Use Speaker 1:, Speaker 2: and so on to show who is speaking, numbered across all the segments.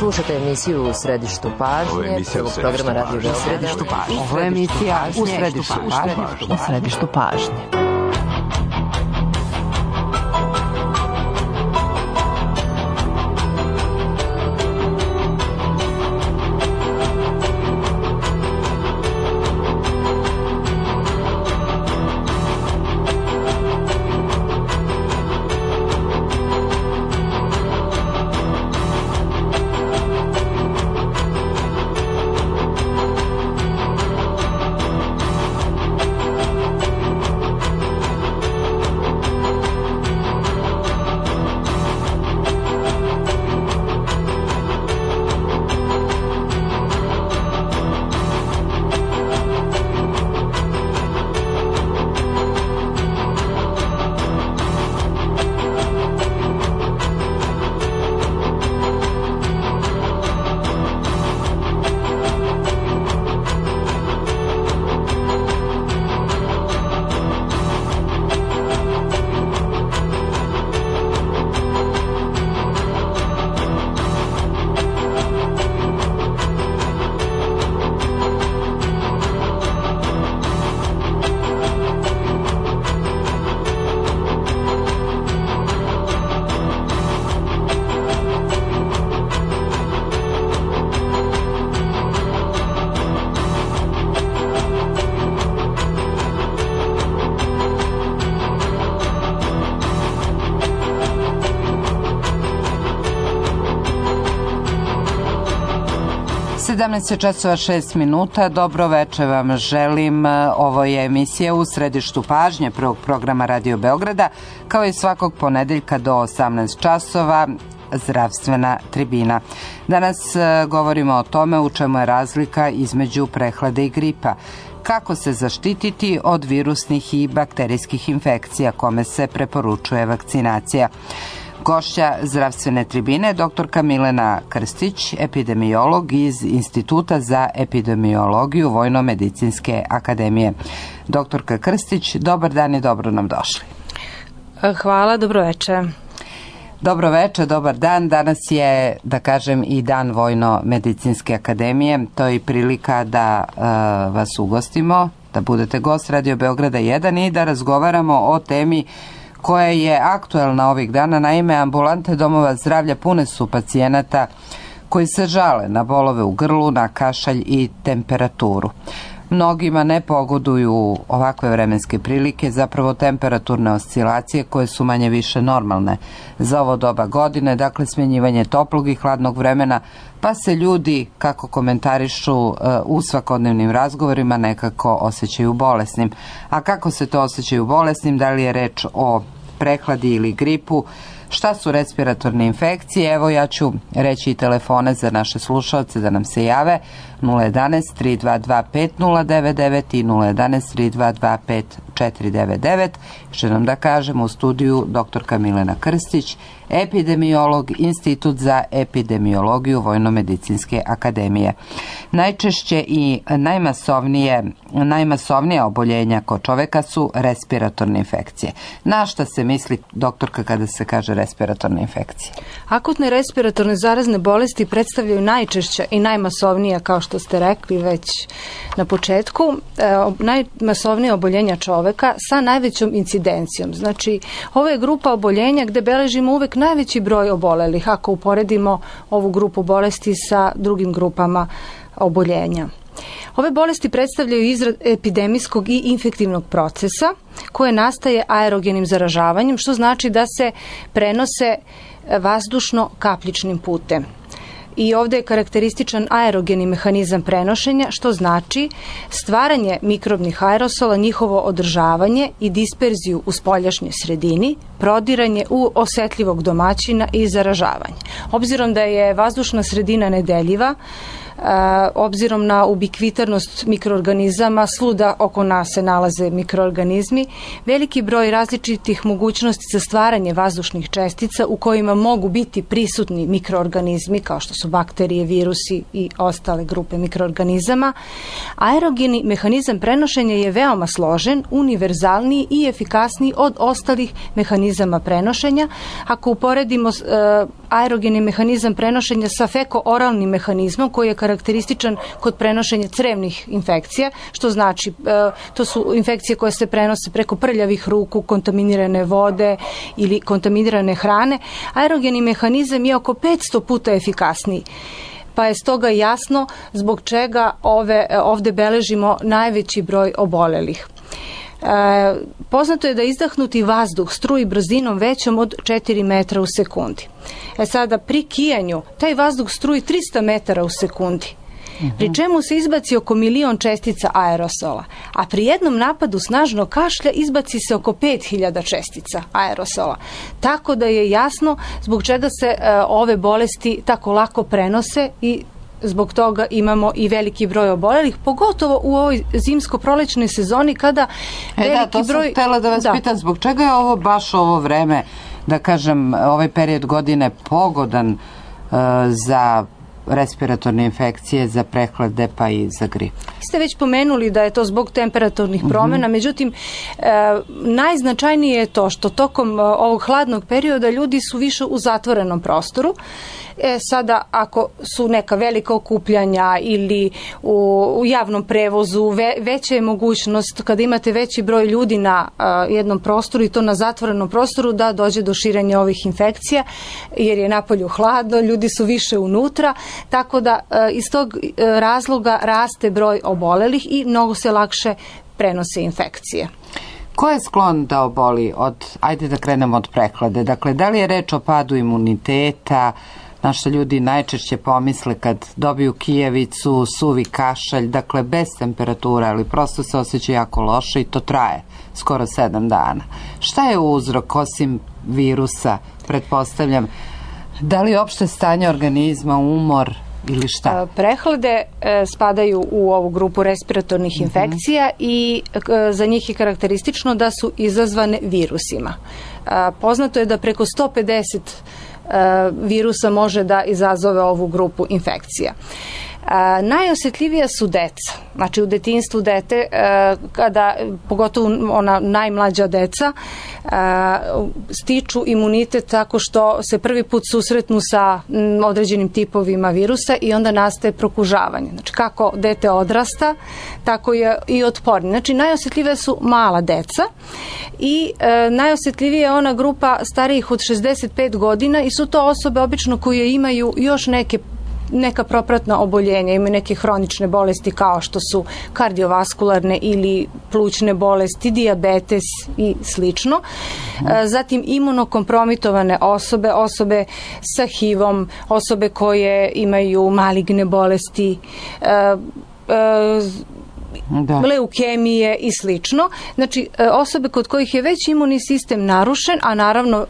Speaker 1: Slušate emisiju U središtu pažnje, prvog programa Radio Beograda.
Speaker 2: Ovo je emisija U središtu pažnje. časova 6 minuta. Dobro večer vam želim. Ovo je emisija U središtu pažnje prvog programa Radio Beograda, kao i svakog ponedeljka do 18 časova zdravstvena tribina. Danas govorimo o tome u čemu je razlika između prehlade i gripa. Kako se zaštititi od virusnih i bakterijskih infekcija, kome se preporučuje vakcinacija. Gošća zdravstvene tribine, doktorka Milena Krstić, epidemiolog iz Instituta za epidemiologiju Vojno-medicinske akademije. Doktorka Krstić, dobar dan i dobro nam došli.
Speaker 3: Hvala, dobro večer.
Speaker 2: Dobro večer, dobar dan. Danas je, da kažem, i dan Vojno-medicinske akademije. To je i prilika da vas ugostimo, da budete gost Radio Beograda 1 i da razgovaramo o temi koja je aktuelna ovih dana. Naime, ambulante domova zdravlja pune su pacijenata koji se žale na bolove u grlu, na kašalj i temperaturu. Mnogima ne pogoduju ovakve vremenske prilike, zapravo temperaturne oscilacije koje su manje više normalne za ovo doba godine, dakle smjenjivanje toplog i hladnog vremena, pa se ljudi, kako komentarišu u svakodnevnim razgovorima, nekako osjećaju bolesnim. A kako se to osjećaju bolesnim, da li je reč o prehladi ili gripu, šta su respiratorne infekcije? Evo, ja ću reći i telefone za naše slušalce da nam se jave: 011 322 5099 i 011 322 5499. Što nam da kažem, u studiju doktorka Milena Krstić, epidemiolog, Institut za epidemiologiju Vojno-medicinske akademije. Najčešće i najmasovnija oboljenja kod čoveka su respiratorne infekcije. Na šta se misli, doktorka, kada se kaže respiratorne infekcije?
Speaker 3: Akutne respiratorne zarazne bolesti predstavljaju najčešća i najmasovnija, kao što ste rekli već na početku, najmasovnija oboljenja čoveka sa najvećom incidencijom. Znači, ovo je grupa oboljenja gde beležimo uvek najveći broj obolelih, ako uporedimo ovu grupu bolesti sa drugim grupama oboljenja. Ove bolesti predstavljaju izraz epidemijskog i infektivnog procesa koje nastaje aerogenim zaražavanjem, što znači da se prenose vazdušno-kapljičnim putem. I ovdje je karakterističan aerogeni mehanizam prenošenja, što znači stvaranje mikrobnih aerosola, njihovo održavanje i disperziju u spoljašnjoj sredini, prodiranje u osetljivog domaćina i zaražavanje. Obzirom da je vazdušna sredina nedeljiva, obzirom na ubikvitarnost mikroorganizama, svuda oko nas se nalaze mikroorganizmi, veliki broj različitih mogućnosti za stvaranje vazdušnih čestica u kojima mogu biti prisutni mikroorganizmi kao što su bakterije, virusi i ostale grupe mikroorganizama. Aerogeni mehanizam prenošenja je veoma složen, univerzalniji i efikasniji od ostalih mehanizama prenošenja. Ako uporedimo aerogeni mehanizam prenošenja sa feko-oralnim mehanizmom koji je karakterističan kod prenošenja crevnih infekcija, što znači to su infekcije koje se prenose preko prljavih ruku, kontaminirane vode ili kontaminirane hrane, aerogeni mehanizam je oko 500 puta efikasniji. Pa je stoga jasno zbog čega ovde beležimo najveći broj obolelih. Poznato je da izdahnuti vazduh struji brzinom većom od 4 metra u sekundi. Sada pri kijanju taj vazduh struji 300 metara u sekundi, pri čemu se izbaci oko 1.000.000 čestica aerosola, a pri jednom napadu snažnog kašlja izbaci se oko 5.000 čestica aerosola. Tako da je jasno zbog čega se ove bolesti tako lako prenose i zbog toga imamo i veliki broj obolelih, pogotovo u ovoj zimsko-prolećnoj sezoni kada veliki broj...
Speaker 2: To sam htjela da vas pitam, zbog čega je ovo baš ovo vreme, da kažem, ovaj period godine pogodan za respiratorne infekcije, za prehlade pa i za grip?
Speaker 3: Ste već pomenuli da je to zbog temperaturnih promjena, međutim, najznačajnije je to što tokom ovog hladnog perioda ljudi su više u zatvorenom prostoru. Sada, ako su neka velika okupljanja ili u javnom prevozu, veća je mogućnost kada imate veći broj ljudi na jednom prostoru i to na zatvorenom prostoru da dođe do širenja ovih infekcija, jer je napolju hladno, ljudi su više unutra, tako da iz tog razloga raste broj obolelih i mnogo se lakše prenose infekcije.
Speaker 2: Ko je sklon da oboli ajde da krenemo od prehlade, dakle da li je reč o padu imuniteta, na što ljudi najčešće pomisle kad dobiju kijevicu, suvi kašalj, dakle bez temperature, ali prosto se osjeća jako loše i to traje skoro 7 dana. Šta je uzrok osim virusa, pretpostavljam? Da li opšte stanje organizma, umor ili šta?
Speaker 3: Prehlade spadaju u ovu grupu respiratornih infekcija i za njih je karakteristično da su izazvane virusima. Poznato je da preko 150 virusa može da izazove ovu grupu infekcija. Najosjetljivija su deca. Znači u detinjstvu dete, kada, pogotovo ona najmlađa deca, stiču imunitet tako što se prvi put susretnu sa određenim tipovima virusa i onda nastaje prokužavanje. Znači kako dete odrasta, tako je i otpornije. Znači najosjetljivija su mala deca i najosjetljivija je ona grupa starijih od 65 godina i su to osobe obično koje imaju još neka propratna oboljenja, imaju neke hronične bolesti kao što su kardiovaskularne ili plućne bolesti, dijabetes i slično. Zatim imunokompromitovane osobe sa HIV-om, osobe koje imaju maligne bolesti, leukemije i slično. Znači osobe kod kojih je već imunni sistem narušen, a naravno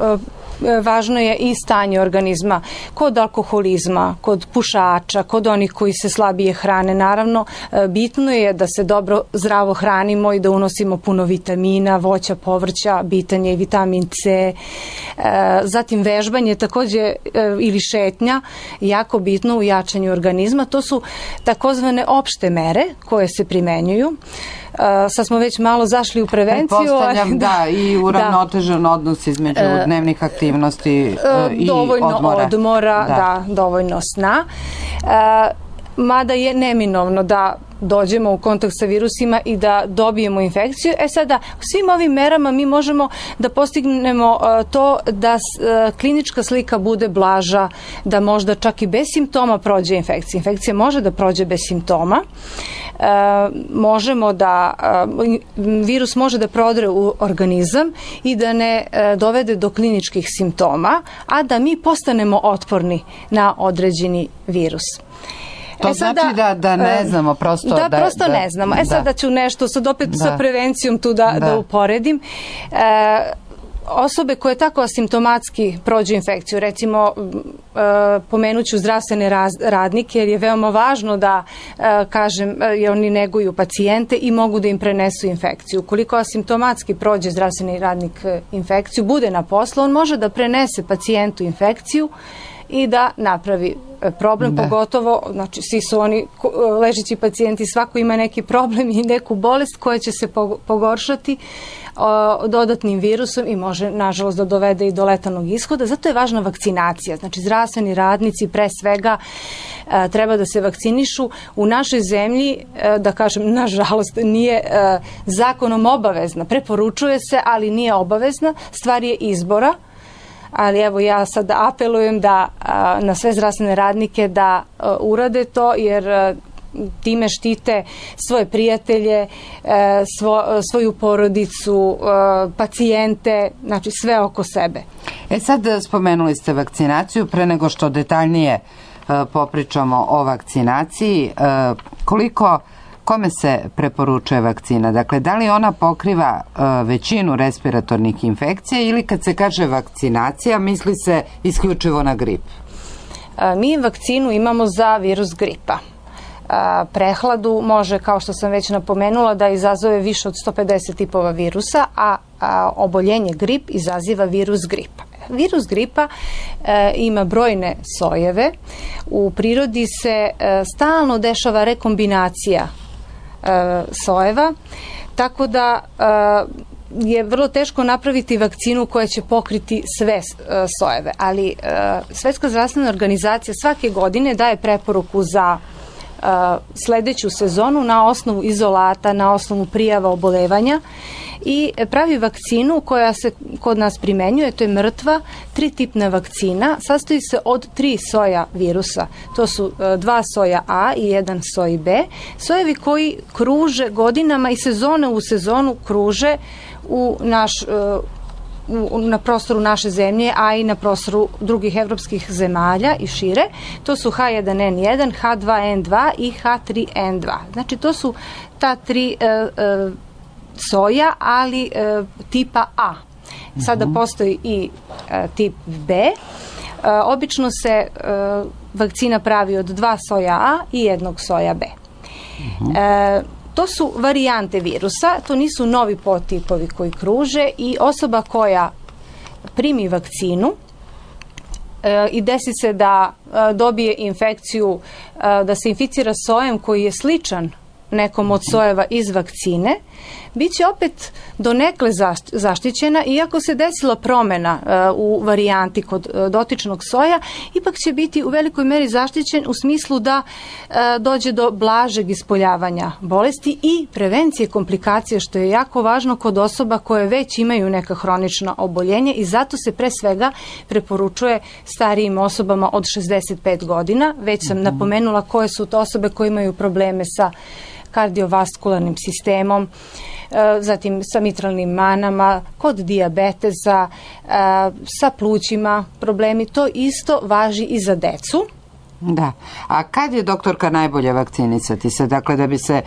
Speaker 3: važno je i stanje organizma kod alkoholizma, kod pušača, kod onih koji se slabije hrane. Naravno, bitno je da se dobro zdravo hranimo i da unosimo puno vitamina, voća, povrća, bitan je i vitamin C. Zatim vežbanje također ili šetnja, jako bitno u jačanju organizma. To su takozvane opšte mere koje se primenjuju. Sad smo već malo zašli u prevenciju.
Speaker 2: Pretpostavljam da i uravnotežen odnos između dnevnih aktivnosti i
Speaker 3: dovoljno odmora, dovoljno sna. Mada je neminovno da dođemo u kontakt sa virusima i da dobijemo infekciju. Sada, svim ovim merama mi možemo da postignemo to da klinička slika bude blaža, da možda čak i bez simptoma prođe infekcija. Infekcija može da prođe bez simptoma. Virus može da prodre u organizam i da ne dovede do kliničkih simptoma, a da mi postanemo otporni na određeni virus.
Speaker 2: To znači da ne znamo prosto.
Speaker 3: Da, prosto ne znamo. Sada ću nešto, sad opet sa prevencijom tu da uporedim. Osobe koje tako asimptomatski prođu infekciju, recimo pomenuću zdravstvene radnike, jer je veoma važno da, kažem, oni neguju pacijente i mogu da im prenesu infekciju. Ukoliko asimptomatski prođe zdravstveni radnik infekciju, bude na poslu, on može da prenese pacijentu infekciju i da napravi problem, pogotovo, znači svi su oni ležeći pacijenti, svako ima neki problem i neku bolest koja će se pogoršati dodatnim virusom i može, nažalost, da dovede i do letalnog ishoda. Zato je važna vakcinacija. Znači, zdravstveni radnici pre svega treba da se vakcinišu. U našoj zemlji, da kažem, nažalost, nije zakonom obavezna. Preporučuje se, ali nije obavezna. Stvar je izbora. Ali evo, ja sad apelujem na sve zdravstvene radnike da urade to, jer time štite svoje prijatelje, svoju porodicu, pacijente, znači sve oko sebe.
Speaker 2: Sad spomenuli ste vakcinaciju. Pre nego što detaljnije popričamo o vakcinaciji, kome se preporučuje vakcina? Dakle, da li ona pokriva većinu respiratornih infekcija ili kad se kaže vakcinacija, misli se isključivo na grip?
Speaker 3: Mi vakcinu imamo za virus gripa. Prehladu može, kao što sam već napomenula, da izazove više od 150 tipova virusa, a oboljenje grip izaziva virus gripa. Virus gripa ima brojne sojeve. U prirodi se stalno dešava rekombinacija sojeva, tako da je vrlo teško napraviti vakcinu koja će pokriti sve sojeve, ali Svetska zdravstvena organizacija svake godine daje preporuku za sledeću sezonu na osnovu izolata, na osnovu prijava obolevanja i pravi vakcinu koja se kod nas primenjuje, to je mrtva, 3-tipna vakcina, sastoji se od 3 soja virusa. To su 2 soja A i 1 soj B. Sojevi koji kruže godinama i sezone u sezonu kruže na prostoru naše zemlje, a i na prostoru drugih evropskih zemalja i šire. To su H1N1, H2N2 i H3N2. Znači, to su ta 3 soja, ali tipa A. Sada postoji i tip B. Obično se vakcina pravi od 2 soja A i 1 soja B. To su varijante virusa, to nisu novi podtipovi koji kruže i osoba koja primi vakcinu i desi se da dobije infekciju, da se inficira sojem koji je sličan nekom od sojeva iz vakcine, bit će opet donekle zaštićena, iako se desila promena u varijanti kod dotičnog soja, ipak će biti u velikoj meri zaštićen u smislu da dođe do blažeg ispoljavanja bolesti i prevencije komplikacije, što je jako važno kod osoba koje već imaju neka hronična oboljenja i zato se pre svega preporučuje starijim osobama od 65 godina. Već sam napomenula koje su to osobe koje imaju probleme sa kardiovaskularnim sistemom, zatim sa mitralnim manama, kod dijabetesa, sa plućima problemi. To isto važi i za decu.
Speaker 2: Da. A kad je, doktorka, najbolje vakcinisati se? Dakle, da bi se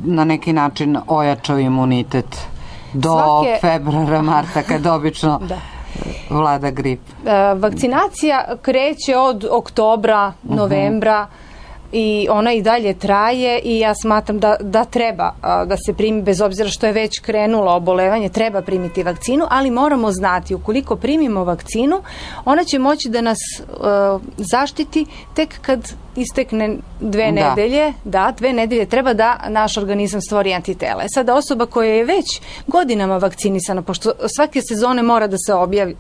Speaker 2: na neki način ojačao imunitet do februara, marta, kad obično vlada grip?
Speaker 3: Vakcinacija kreće od oktobra, novembra, i ona i dalje traje i ja smatram da treba da se primi, bez obzira što je već krenulo obolevanje, treba primiti vakcinu, ali moramo znati, ukoliko primimo vakcinu, ona će moći da nas zaštiti tek kad istekne 2 nedelje. Da, 2 nedelje treba da naš organizam stvori antitela. Sada osoba koja je već godinama vakcinisana, pošto svake sezone mora da se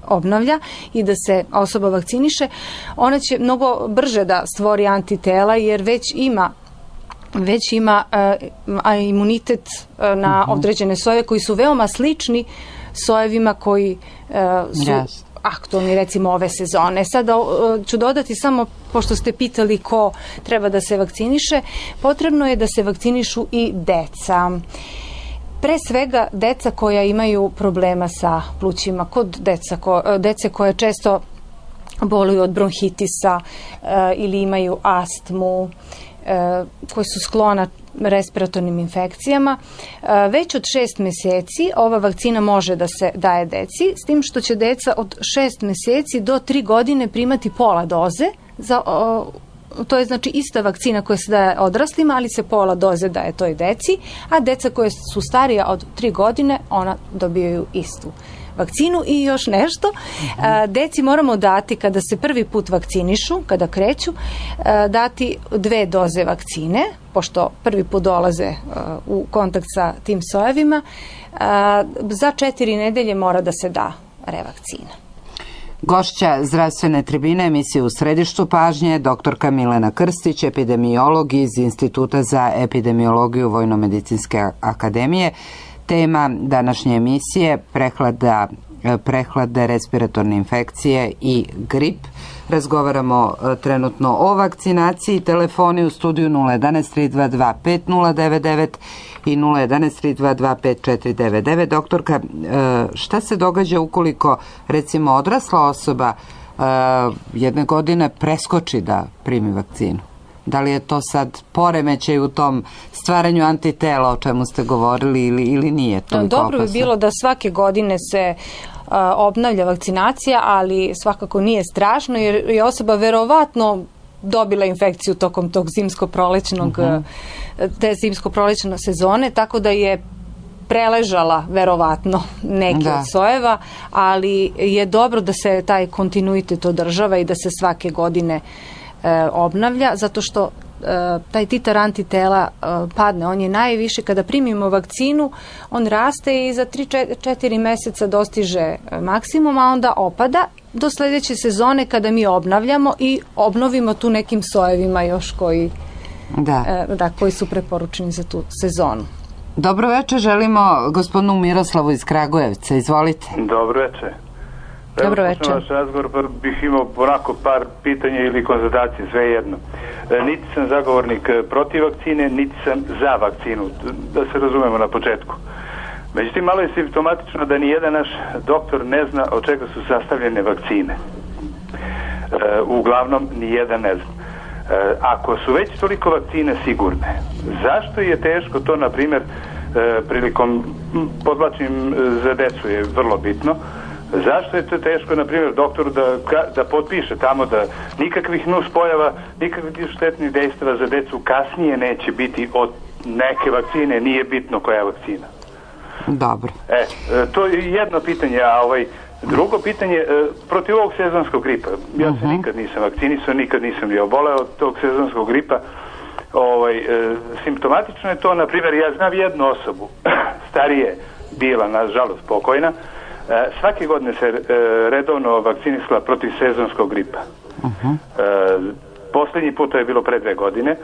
Speaker 3: obnavlja i da se osoba vakciniše, ona će mnogo brže da stvori antitela jer već ima imunitet na određene sojeve koji su veoma slični sojevima koji su aktualni, recimo, ove sezone. Sada ću dodati samo, pošto ste pitali ko treba da se vakciniše, potrebno je da se vakcinišu i deca. Pre svega deca koja imaju problema sa plućima, kod dece koje često boluju od bronhitisa ili imaju astmu, koji su sklona respiratornim infekcijama. Već od 6 meseci ova vakcina može da se daje deci, s tim što će deca od 6 meseci do 3 godine primati pola doze. To je znači ista vakcina koja se daje odraslima, ali se pola doze daje toj deci, a deca koje su starija od 3 godine, ona dobijaju istu vakcinu. I još nešto, deci moramo dati kada se prvi put vakcinišu, kada kreću, dati 2 doze vakcine, pošto prvi put dolaze u kontakt sa tim sojevima. Za 4 nedelje mora da se da revakcina.
Speaker 2: Gošća zdravstvene tribine emisije U središtu pažnje, doktorka Milena Krstić, epidemiolog iz Instituta za epidemiologiju Vojno-medicinske akademije. Tema današnje emisije prehlade, respiratorne infekcije i grip. Razgovaramo trenutno o vakcinaciji. Telefoni u studiju 011 322 5099 i 011 322 5499. Doktorka, šta se događa ukoliko recimo odrasla osoba jedne godine preskoči da primi vakcinu? Da li je to sad poremećaj u tom stvaranju antitela o čemu ste govorili ili nije toliko opasno?
Speaker 3: Dobro bi bilo da svake godine se obnavlja vakcinacija, ali svakako nije strašno jer je osoba verovatno dobila infekciju tokom tog te zimsko-prolećne sezone, tako da je preležala verovatno neki od sojeva, ali je dobro da se taj kontinuitet održava i da se svake godine obnavlja, zato što taj titar antitela padne. On je najviše kada primimo vakcinu, on raste i za 3-4 meseca dostiže maksimum, a onda opada do sledeće sezone kada mi obnavljamo i obnovimo tu nekim sojevima još koji su preporučeni za tu sezonu.
Speaker 2: Dobro večer, želimo gospodinu Miroslavu iz Kragujevca. Izvolite.
Speaker 4: Dobro večer.
Speaker 3: Dobro večer.
Speaker 4: Vaš razgovor, pa bih imao onako par pitanja ili konzultacije, sve jedno. Niti sam zagovornik protiv vakcine, niti sam za vakcinu, da se razumemo na početku. Međutim, malo je simptomatično da nijedan naš doktor ne zna od čega su sastavljene vakcine. Uglavnom, nijedan ne zna. Ako su već toliko vakcine sigurne, zašto je teško to, na primjer, prilikom, podvlačim za decu je vrlo bitno, zašto je to teško, na primjer, doktoru da potpiše tamo da nikakvih nuspojava, nikakvih štetnih dejstava za decu kasnije neće biti od neke vakcine, nije bitno koja je vakcina.
Speaker 2: Dobro.
Speaker 4: To je jedno pitanje, a drugo pitanje, protiv ovog sezonskog gripa. Ja se nikad nisam vakcinisao, nikad nisam bio oboleo od tog sezonskog gripa. Simptomatično je to, na primjer, ja znam jednu osobu, starije bila, nažalost, pokojna, svake godine se redovno vakcinisala protiv sezonskog gripa. Posljednji put, to je bilo pre 2 godine,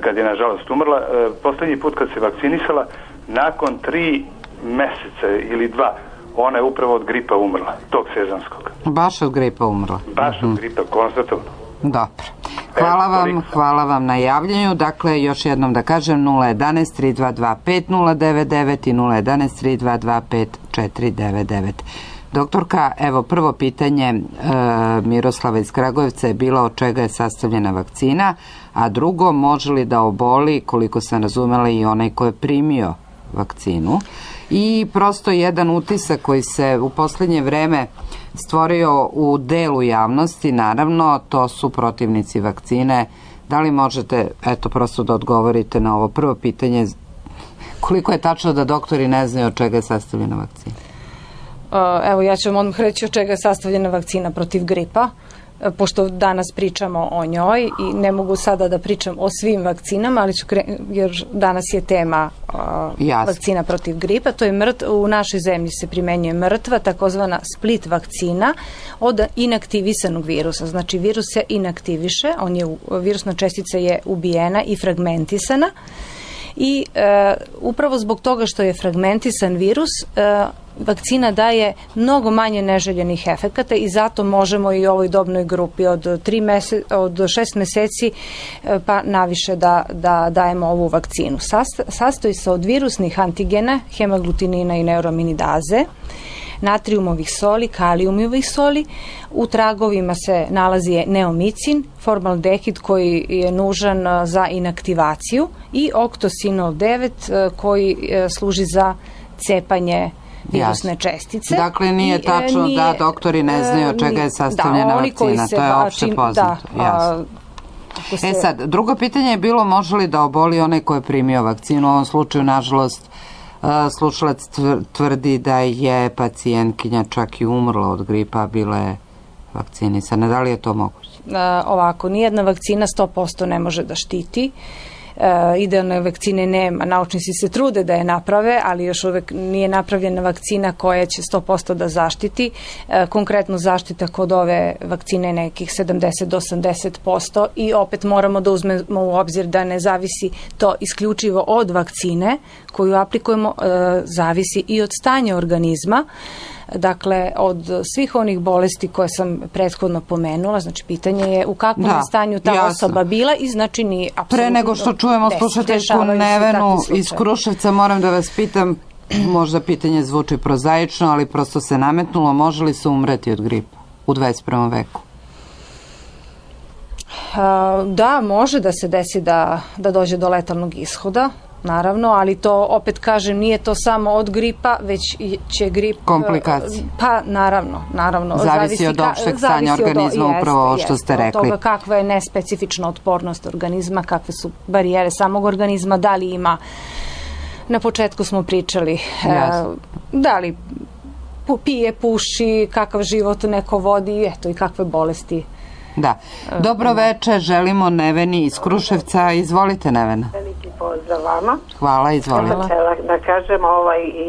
Speaker 4: kad je nažalost umrla, posljednji put kad se vakcinisala, nakon 3 meseca ili 2, ona je upravo od gripa umrla, tog sezonskog.
Speaker 2: Baš od gripa umrla?
Speaker 4: Baš od gripa, konstatovno.
Speaker 2: Dobro. Hvala vam na javljanju. Dakle, još jednom da kažem, 011 322 5099 i 011 322 5499. Doktorka, evo prvo pitanje Miroslava iz Kragujevca je bilo od čega je sastavljena vakcina, a drugo, može li da oboli, koliko sam razumela, i onaj ko je primio vakcinu. I prosto jedan utisak koji se u posljednje vreme stvorio u delu javnosti, naravno, to su protivnici vakcine. Da li možete, prosto da odgovorite na ovo prvo pitanje, koliko je tačno da doktori ne znaju od čega je sastavljena vakcina?
Speaker 3: Evo, ja ću vam odmah reći od čega je sastavljena vakcina protiv gripa, pošto danas pričamo o njoj i ne mogu sada da pričam o svim vakcinama, ali jer danas je tema vakcina protiv gripa. To je u našoj zemlji se primenjuje mrtva, takozvana split vakcina od inaktivisanog virusa. Znači, virus se inaktiviše, virusna čestica je ubijena i fragmentisana i upravo zbog toga što je fragmentisan virus, vakcina daje mnogo manje neželjenih efekata i zato možemo i u ovoj dobnoj grupi od 6 meseci pa naviše da dajemo ovu vakcinu. Sastoji se od virusnih antigena, hemaglutinina i neuraminidaze. natriumovih soli, kaliumovih soli. U tragovima se nalazi neomicin, formaldehid koji je nužan za inaktivaciju i oktosinol 9 koji služi za cepanje virusne čestice.
Speaker 2: Dakle, nije tačno da doktori ne znaju od čega je sastavljena vakcina. To je opšte poznato. Sad, drugo pitanje je bilo može li da oboli onaj ko je primio vakcinu. U ovom slučaju, nažalost, slušalac tvrdi da je pacijentkinja čak i umrla od gripa, bila je vakcinisana. Da li je to moguće?
Speaker 3: Ovako, nijedna vakcina 100% ne može da štiti. Idealne vakcine nema. Naučnici se trude da je naprave, ali još uvek nije napravljena vakcina koja će 100% da zaštiti. Konkretno zaštita kod ove vakcine nekih 70 do 80% i opet moramo da uzmemo u obzir da ne zavisi to isključivo od vakcine koju aplikujemo, zavisi i od stanja organizma. Dakle, od svih onih bolesti koje sam prethodno pomenula, znači pitanje je u kakvom je stanju ta osoba bila i znači ni apsolutno...
Speaker 2: Pre nego što čujemo slušateljku Nevenu iz Kruševca, moram da vas pitam, možda pitanje zvuči prozaično, ali prosto se nametnulo, može li se umreti od gripa u 21. veku?
Speaker 3: Da, može da se desi da dođe do letalnog ishoda, naravno, ali to, opet kažem, nije to samo od gripa, već će grip...
Speaker 2: Komplikacije.
Speaker 3: Pa, naravno.
Speaker 2: Zavisi od opšteg stanja organizma, upravo ovo što ste rekli.
Speaker 3: Od toga kakva je nespecifična otpornost organizma, kakve su barijere samog organizma, da li ima, na početku smo pričali, da li pije, puši, kakav život neko vodi, eto i kakve bolesti.
Speaker 2: Da. Dobro večer, želimo Neveni iz Kruševca. Izvolite, Nevena.
Speaker 5: Veliki pozdrav vama.
Speaker 2: Hvala, izvolite.
Speaker 5: Da kažem,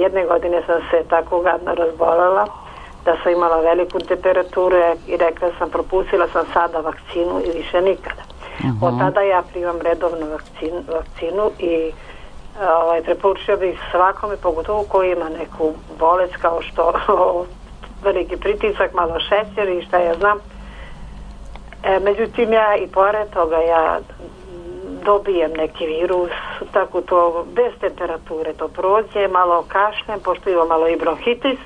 Speaker 5: jedne godine sam se tako gadno razbolela da sam imala veliku temperaturu i rekla sam, propustila sam sada vakcinu i više nikada. Od tada ja primam redovnu vakcinu i preporučio bih svakome, pogotovo koji ima neku bolest kao što veliki pritisak, malo šećer i šta ja znam. Međutim, ja i pored toga ja dobijem neki virus, tako to bez temperature to prođe, malo kašljem, pošto imam malo i bronhitis.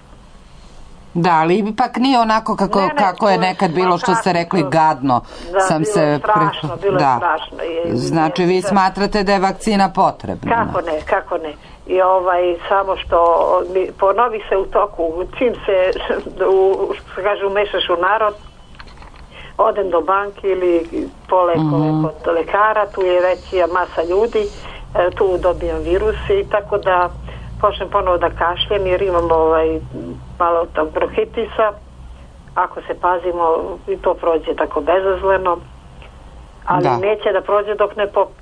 Speaker 2: Da, ali ipak nije onako kako je nekad bilo što ste rekli gadno.
Speaker 5: Da, bilo je strašno.
Speaker 2: Znači, vi smatrate da je vakcina potrebna?
Speaker 5: Kako ne. I samo što ponovi se u toku, čim se, što kaže, umešaš u narod, odem do banke ili po lekove kod lekara, tu je veća masa ljudi, tu dobijam virus i tako da počnem ponovo da kašljem jer imam malo tog bronhitisa. Ako se pazimo i to prođe tako bezazleno, ali neće da prođe dok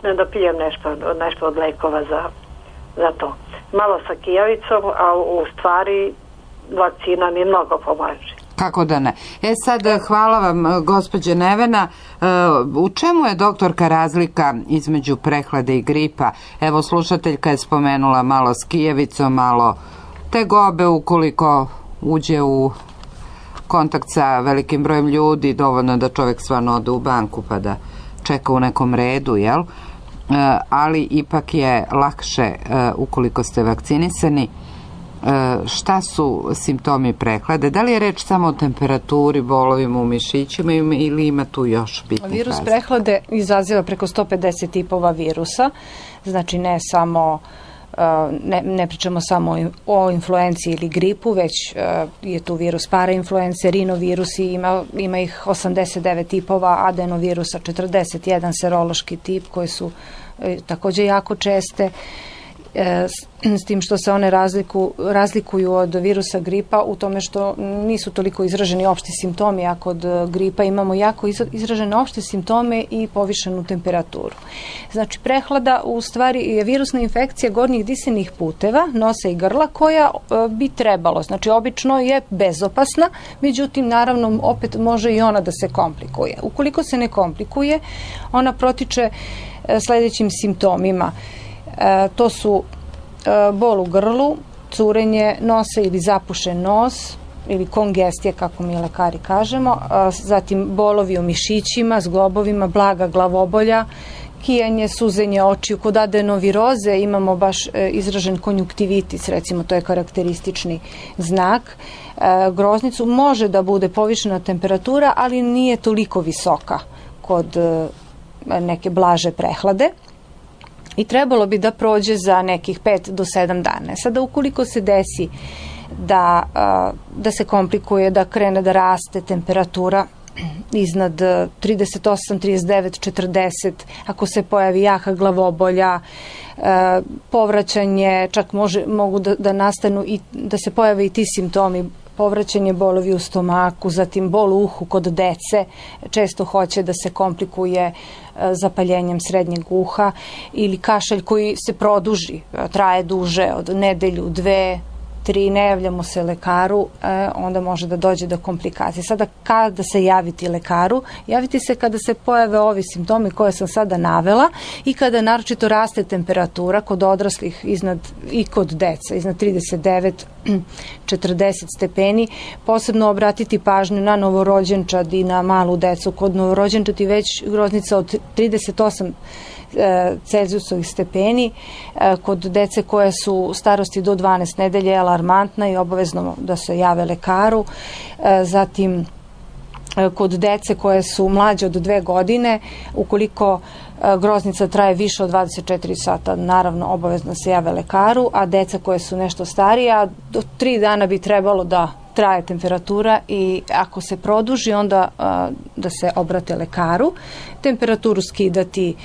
Speaker 5: ne dopijem nešto od lekova za to. Malo sa kijavicom, a u stvari vakcina mi mnogo pomaže.
Speaker 2: Kako da ne. Sad, hvala vam, gospođe Nevena. U čemu je, doktorka, razlika između prehlade i gripa? Evo, slušateljka je spomenula malo s kijevicom, malo tegobe ukoliko uđe u kontakt sa velikim brojem ljudi, dovoljno da čovjek stvarno ode u banku pa da čeka u nekom redu, jel? Ali ipak je lakše ukoliko ste vakcinisani. Šta su simptomi prehlade? Da li je reč samo o temperaturi, bolovima u mišićima ili ima tu još bitnih razlika?
Speaker 3: Virus prehlade izaziva preko 150 tipova virusa, znači ne pričamo samo o influenciji ili gripu, već je tu virus parainfluence, rinovirusi, ima ih 89 tipova, adenovirusa 41, serološki tip koji su također jako česte, s tim što se one razlikuju od virusa gripa u tome što nisu toliko izraženi opšti simptomi, a kod gripa imamo jako izražene opšte simptome i povišenu temperaturu. Znači, prehlada u stvari je virusna infekcija gornjih disenih puteva, nosa i grla, koja bi trebalo, znači obično je bezopasna, međutim, naravno, opet može i ona da se komplikuje. Ukoliko se ne komplikuje, ona protiče sljedećim simptomima. To su bol u grlu, curenje nosa ili zapušen nos ili kongestija, kako mi lekari kažemo, zatim bolovi u mišićima, zglobovima, blaga glavobolja kijanje, suzenje očiju. Kod adenoviroze imamo baš izražen konjunktivitis, recimo, to je karakteristični znak. Groznicu može da bude povišena temperatura, ali nije toliko visoka kod neke blaže prehlade. I trebalo bi da prođe za nekih 5 do 7 dana. Sada, ukoliko se desi da se komplikuje, da krene da raste temperatura iznad 38, 39, 40, ako se pojavi jaka glavobolja, povraćanje, čak mogu da nastanu i da se pojave i ti simptomi, povraćanje bolovi u stomaku, zatim bol u uhu kod dece, često hoće da se komplikuje zapaljenjem srednjeg uha, ili kašalj koji se produži, traje duže od nedelju, 2, 3, ne javljamo se lekaru, onda može da dođe do komplikacije. Sada, kada se javiti lekaru? Javiti se kada se pojave ovi simptomi koje sam sada navela i kada naročito raste temperatura kod odraslih i kod deca iznad 39, 40 stepeni. Posebno obratiti pažnju na novorođenčad i na malu decu. Kod novorođenčad i već groznica od 38 Celzijusovih stepeni, kod dece koje su starosti do 12 nedelje je alarmantna i obavezno da se jave lekaru. Zatim, kod dece koje su mlađe od 2 godine, ukoliko groznica traje više od 24 sata, naravno obavezno se jave lekaru, a deca koje su nešto starija, do 3 dana bi trebalo da traje temperatura i ako se produži, onda da se obrate lekaru. Temperaturu skidati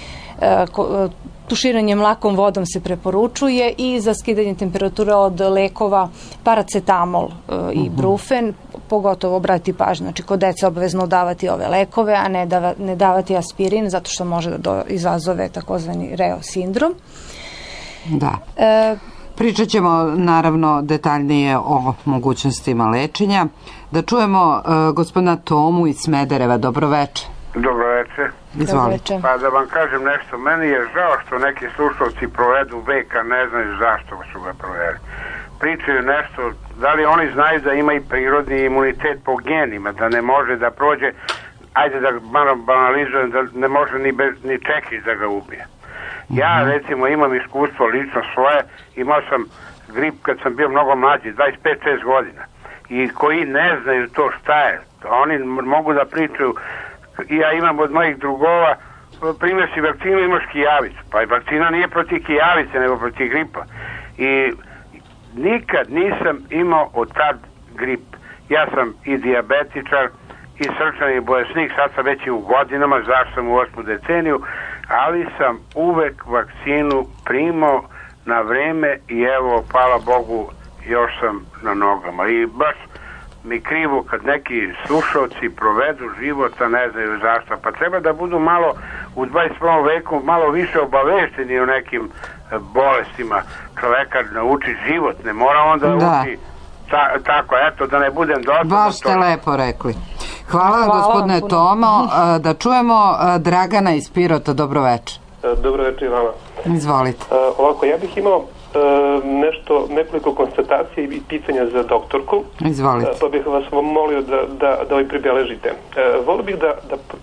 Speaker 3: tuširanjem lakom vodom se preporučuje i za skidanje temperature od lekova paracetamol i brufen, pogotovo obratiti pažnju. Znači, kod dece obavezno davati ove lekove, a ne davati aspirin, zato što može da izazove takozvani Reo sindrom.
Speaker 2: Da. Pričat ćemo naravno detaljnije o mogućnostima lečenja. Da čujemo gospodina Tomu iz Smedereva. Dobroveče.
Speaker 6: Dobroveče.
Speaker 2: Izvolite.
Speaker 6: Pa da vam kažem nešto, meni je žao što neki slušalci provedu veka, ne znaju zašto su ga proveli. Pričaju nešto, da li oni znaju da ima i prirodni imunitet po genima, da ne može da prođe, ajde da malo banalizujem, da ne može ni čekić da ga ubije. Ja recimo imam iskustvo lično svoje, imao sam grip kad sam bio mnogo mlađi, 25-6 godina, i koji ne znaju to šta je, oni mogu da pričaju. Ja imam od mojih drugova, primjer si vakcinu, imaš kijavicu, pa i vakcina nije protiv kijavice nego protiv gripa, i nikad nisam imao od tad grip. Ja sam i dijabetičar i srčani bolesnik, sad sam već i u godinama, zašto sam u 8. deceniju, ali sam uvek vakcinu primao na vreme i evo, hvala Bogu, još sam na nogama. I baš mi krivo kad neki slušalci provedu života, ne znaju zašto. Pa treba da budu malo u 21. veku malo više obavešteni o nekim bolestima. Čoveka nauči život, ne mora onda uči tako, eto, da ne budem dosadno.
Speaker 2: Baš ste lepo rekli. Hvala gospodine Tomo. Da čujemo Dragana iz Pirota. Dobroveče.
Speaker 7: Dobroveče i vama.
Speaker 2: Izvolite.
Speaker 7: Ovako, ja bih imao nekoliko konstatacija i pitanja za doktorku.
Speaker 2: Izvolite.
Speaker 7: Pa bih vas molio da ovaj pribeležite. Volio bih da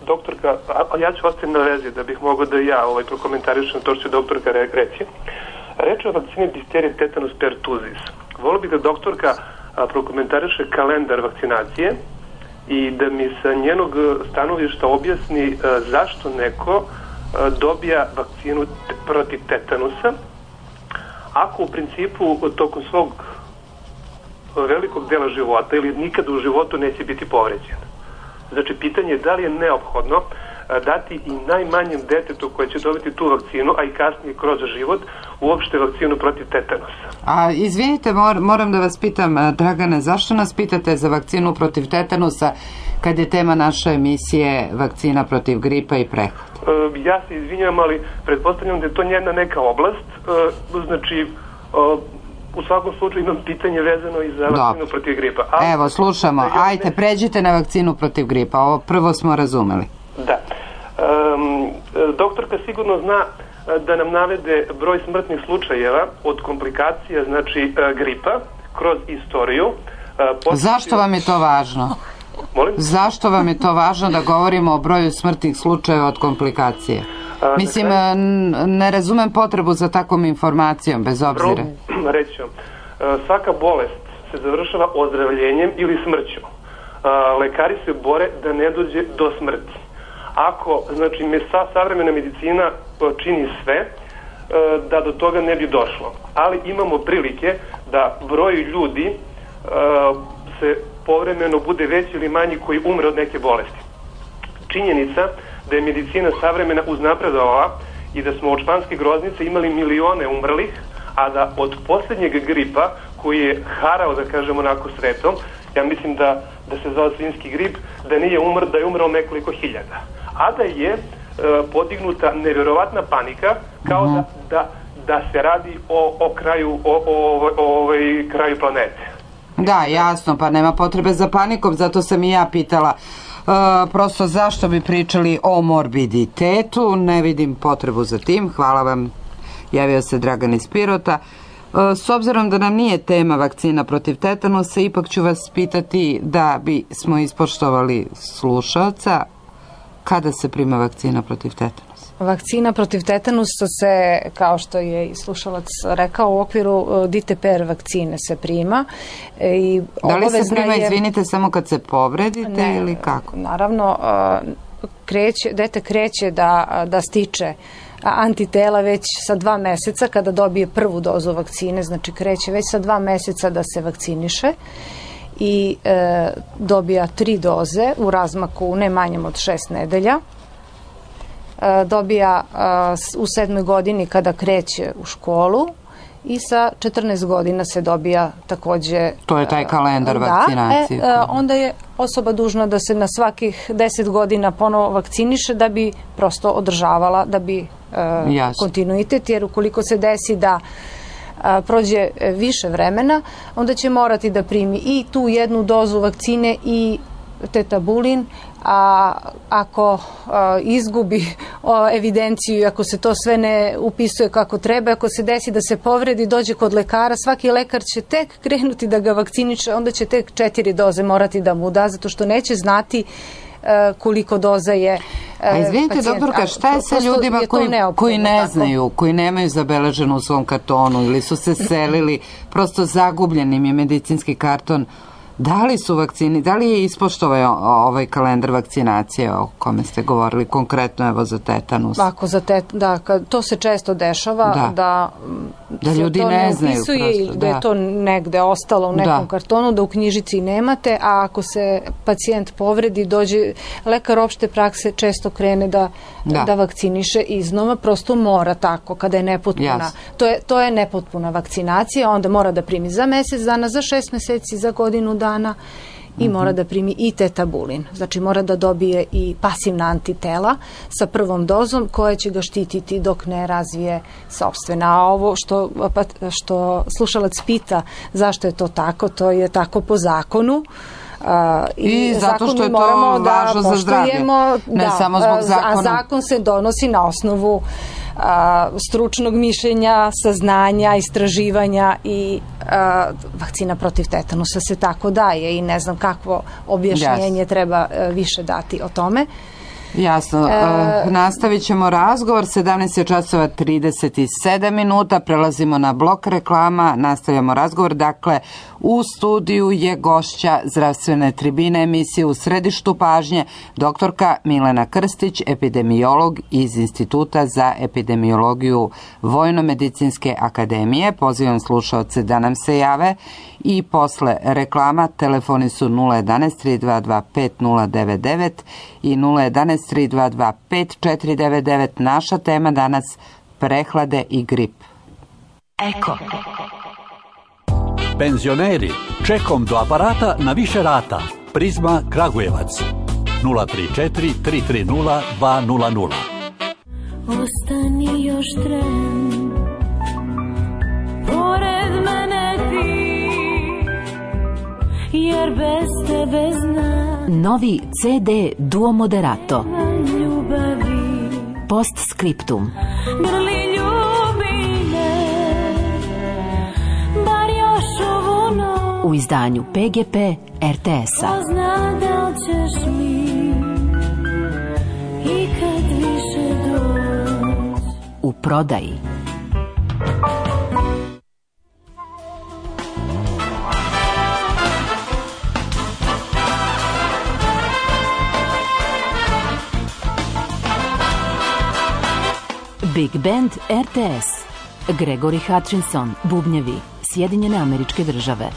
Speaker 7: doktorka, a ja ću ostati na vezi da bih mogao da ja prokomentarišem to što će doktorka reći. Reč je o vakcini difterije tetanus pertussis. Volio bih da doktorka prokomentariše kalendar vakcinacije i da mi sa njenog stanovišta objasni zašto neko dobija vakcinu protiv tetanusa, ako u principu tokom svog velikog dela života ili nikada u životu neće biti povređen. Znači, pitanje je da li je neophodno dati i najmanjem detetu koje će dobiti tu vakcinu, a i kasnije kroz život, uopšte vakcinu protiv tetanusa.
Speaker 2: A izvinite, moram da vas pitam, Dragane, zašto nas pitate za vakcinu protiv tetanusa kad je tema naše emisije vakcina protiv gripa i prehlade?
Speaker 7: Ja se izvinjam, ali pretpostavljam da je to njena neka oblast, znači u svakom slučaju imam pitanje vezano i za vakcinu protiv gripa.
Speaker 2: Evo, slušamo, ajte, pređite na vakcinu protiv gripa, ovo prvo smo razumeli.
Speaker 7: Da. Doktorka sigurno zna da nam navede broj smrtnih slučajeva od komplikacija, znači gripa, kroz istoriju.
Speaker 2: Zašto vam je to važno?
Speaker 7: Molim?
Speaker 2: Zašto vam je to važno da govorimo o broju smrtnih slučajeva od komplikacije? Mislim, ne razumem potrebu za takvom informacijom, bez obzira.
Speaker 7: Reći ću, svaka bolest se završava ozdravljenjem ili smrću. Lekari se bore da ne dođe do smrti. Ako, znači, savremena medicina čini sve da do toga ne bi došlo. Ali imamo prilike da broj ljudi se povremeno bude veći ili manji koji umre od neke bolesti. Činjenica da je medicina savremena uznapredovala i da smo od španske groznice imali milione umrlih, a da od posljednjeg gripa koji je harao, da kažemo, onako svetom, ja mislim da se zvao svinjski grip, da nije umr, da je umrao nekoliko hiljada. A da je podignuta nevjerovatna panika kao da se radi o kraju kraju planete.
Speaker 2: Da, jasno, pa nema potrebe za panikom, zato sam i ja pitala prosto zašto bi pričali o morbiditetu, ne vidim potrebu za tim. Hvala vam, javio se Dragan iz Pirota. S obzirom da nam nije tema vakcina protiv tetanusa, ipak ću vas pitati da bi smo ispoštovali slušalca, kada se prima vakcina protiv tetanusa?
Speaker 3: Vakcina protiv tetanusa se, kao što je i slušalac rekao, u okviru DTPR vakcine se prima. I
Speaker 2: da li se prima, izvinite, samo kad se povredite ili kako?
Speaker 3: Naravno, dete kreće da stiče antitela već sa 2 meseca kada dobije prvu dozu vakcine, znači kreće već sa 2 meseca da se vakciniše i dobija 3 doze u razmaku ne manjem od 6 nedelja. Dobija u 7. godini kada kreće u školu i sa 14 godina se dobija takođe...
Speaker 2: To je taj kalendar vakcinacije.
Speaker 3: Onda je osoba dužna da se na svakih 10 godina ponovo vakciniše da bi prosto održavala, da bi kontinuitet, jer ukoliko se desi da prođe više vremena, onda će morati da primi i tu 1 dozu vakcine i tetabulin, a ako izgubi evidenciju i ako se to sve ne upisuje kako treba, ako se desi da se povredi, dođe kod lekara, svaki lekar će tek krenuti da ga vakciniše, onda će tek 4 doze morati da mu da, zato što neće znati koliko doza je pacijent.
Speaker 2: Izvinite, doktorka, šta je sa ljudima koji ne znaju, koji nemaju zabeleženo u svom kartonu ili su se selili, prosto zagubljen im je medicinski karton? Da li su vakcini, da li je ispoštovao ovaj kalendar vakcinacije o kome ste govorili, konkretno evo za tetanus?
Speaker 3: Ako za to se često dešava, da
Speaker 2: ljudi ne znaju
Speaker 3: prosto, da je to negde ostalo u nekom kartonu, da u knjižici nemate, a ako se pacijent povredi, dođe lekar opšte prakse, često krene da vakciniše iznova, prosto mora tako, kada je nepotpuna. To je nepotpuna vakcinacija, onda mora da primi za mesec dana, za 6 meseci, za godinu dana i mora da primi i tetabulin. Znači mora da dobije i pasivna antitela sa prvom dozom koja će ga štititi dok ne razvije sopstvena. A ovo što slušalac pita zašto je to tako, to je tako po zakonu.
Speaker 2: I zato što je to važno za zdravlje, ne samo zbog zakona.
Speaker 3: A zakon se donosi na osnovu stručnog mišljenja, saznanja, istraživanja i vakcina protiv tetanusa se tako daje i ne znam kakvo objašnjenje treba više dati o tome.
Speaker 2: Jasno, nastavit ćemo razgovor, 17:37, prelazimo na blok reklama, nastavljamo razgovor, dakle u studiju je gošća zdravstvene tribine emisije U središtu pažnje, doktorka Milena Krstić, epidemiolog iz Instituta za epidemiologiju Vojno-medicinske akademije. Pozivam slušaoce da nam se jave i posle reklama telefoni su 011 322 5099 i 011 322 5499. Naša tema danas prehlade i grip.
Speaker 8: Eko. Penzioneri, čekom do aparata na više rata. Prizma Kragujevac. 034 330 200.
Speaker 9: Ostani još tren, pored mene ti, jer bez tebe znam.
Speaker 10: Novi CD Duo Moderato. Postscriptum.
Speaker 9: Grli ljubi me, bar još ovu noć.
Speaker 10: U izdanju PGP RTS-a.
Speaker 9: Pozna da ćeš mi i kad više dođe.
Speaker 10: prodaji. Big Band RTS. Gregory Hutchinson, bubnjevi, Sjedinjene Američke Države.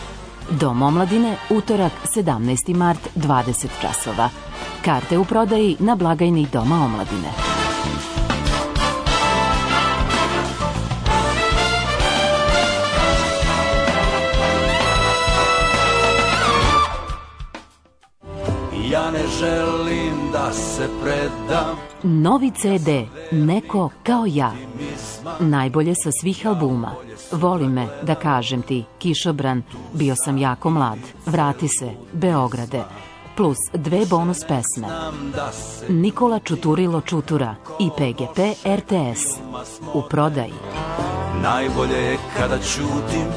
Speaker 10: Dom omladine, utorak, 17. mart, 20 časova. Karte u prodaji na blagajni Doma omladine.
Speaker 11: Ja ne želim da se predam.
Speaker 10: Novi CD, Neko kao ja. Najbolje sa svih albuma. Voli me, da kažem ti, Kišobran, Bio sam jako mlad, Vrati se, Beograde, plus 2 bonus pesme. Nikola Čuturilo Čutura i PGP RTS. U prodaji.
Speaker 11: Najbolje je kada ćutim,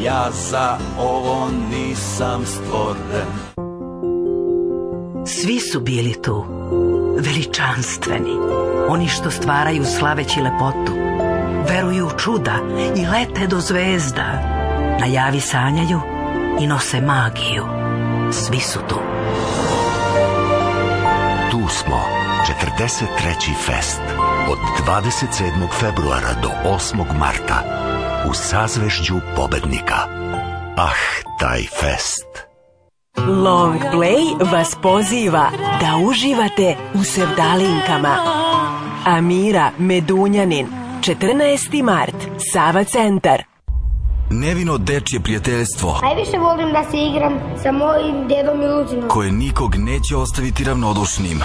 Speaker 11: ja za ovo nisam stvoren.
Speaker 12: Svi su bili tu, veličanstveni, oni što stvaraju slaveći lepotu, veruju u čuda i lete do zvezda, na javi sanjaju i nose magiju. Svi su tu.
Speaker 13: Tu smo, 43. fest, od 27. februara do 8. marta, u sazvežđu pobednika. Ah, taj fest!
Speaker 14: Long Play vas poziva da uživate u sevdalinkama. Amira Medunjanin, 14. mart, Sava centar.
Speaker 11: Nevino dečje prijateljstvo.
Speaker 15: Najviše volim da se igram sa mojim dedom Miluzinom,
Speaker 11: koje nikog neće ostaviti ravnodušnim.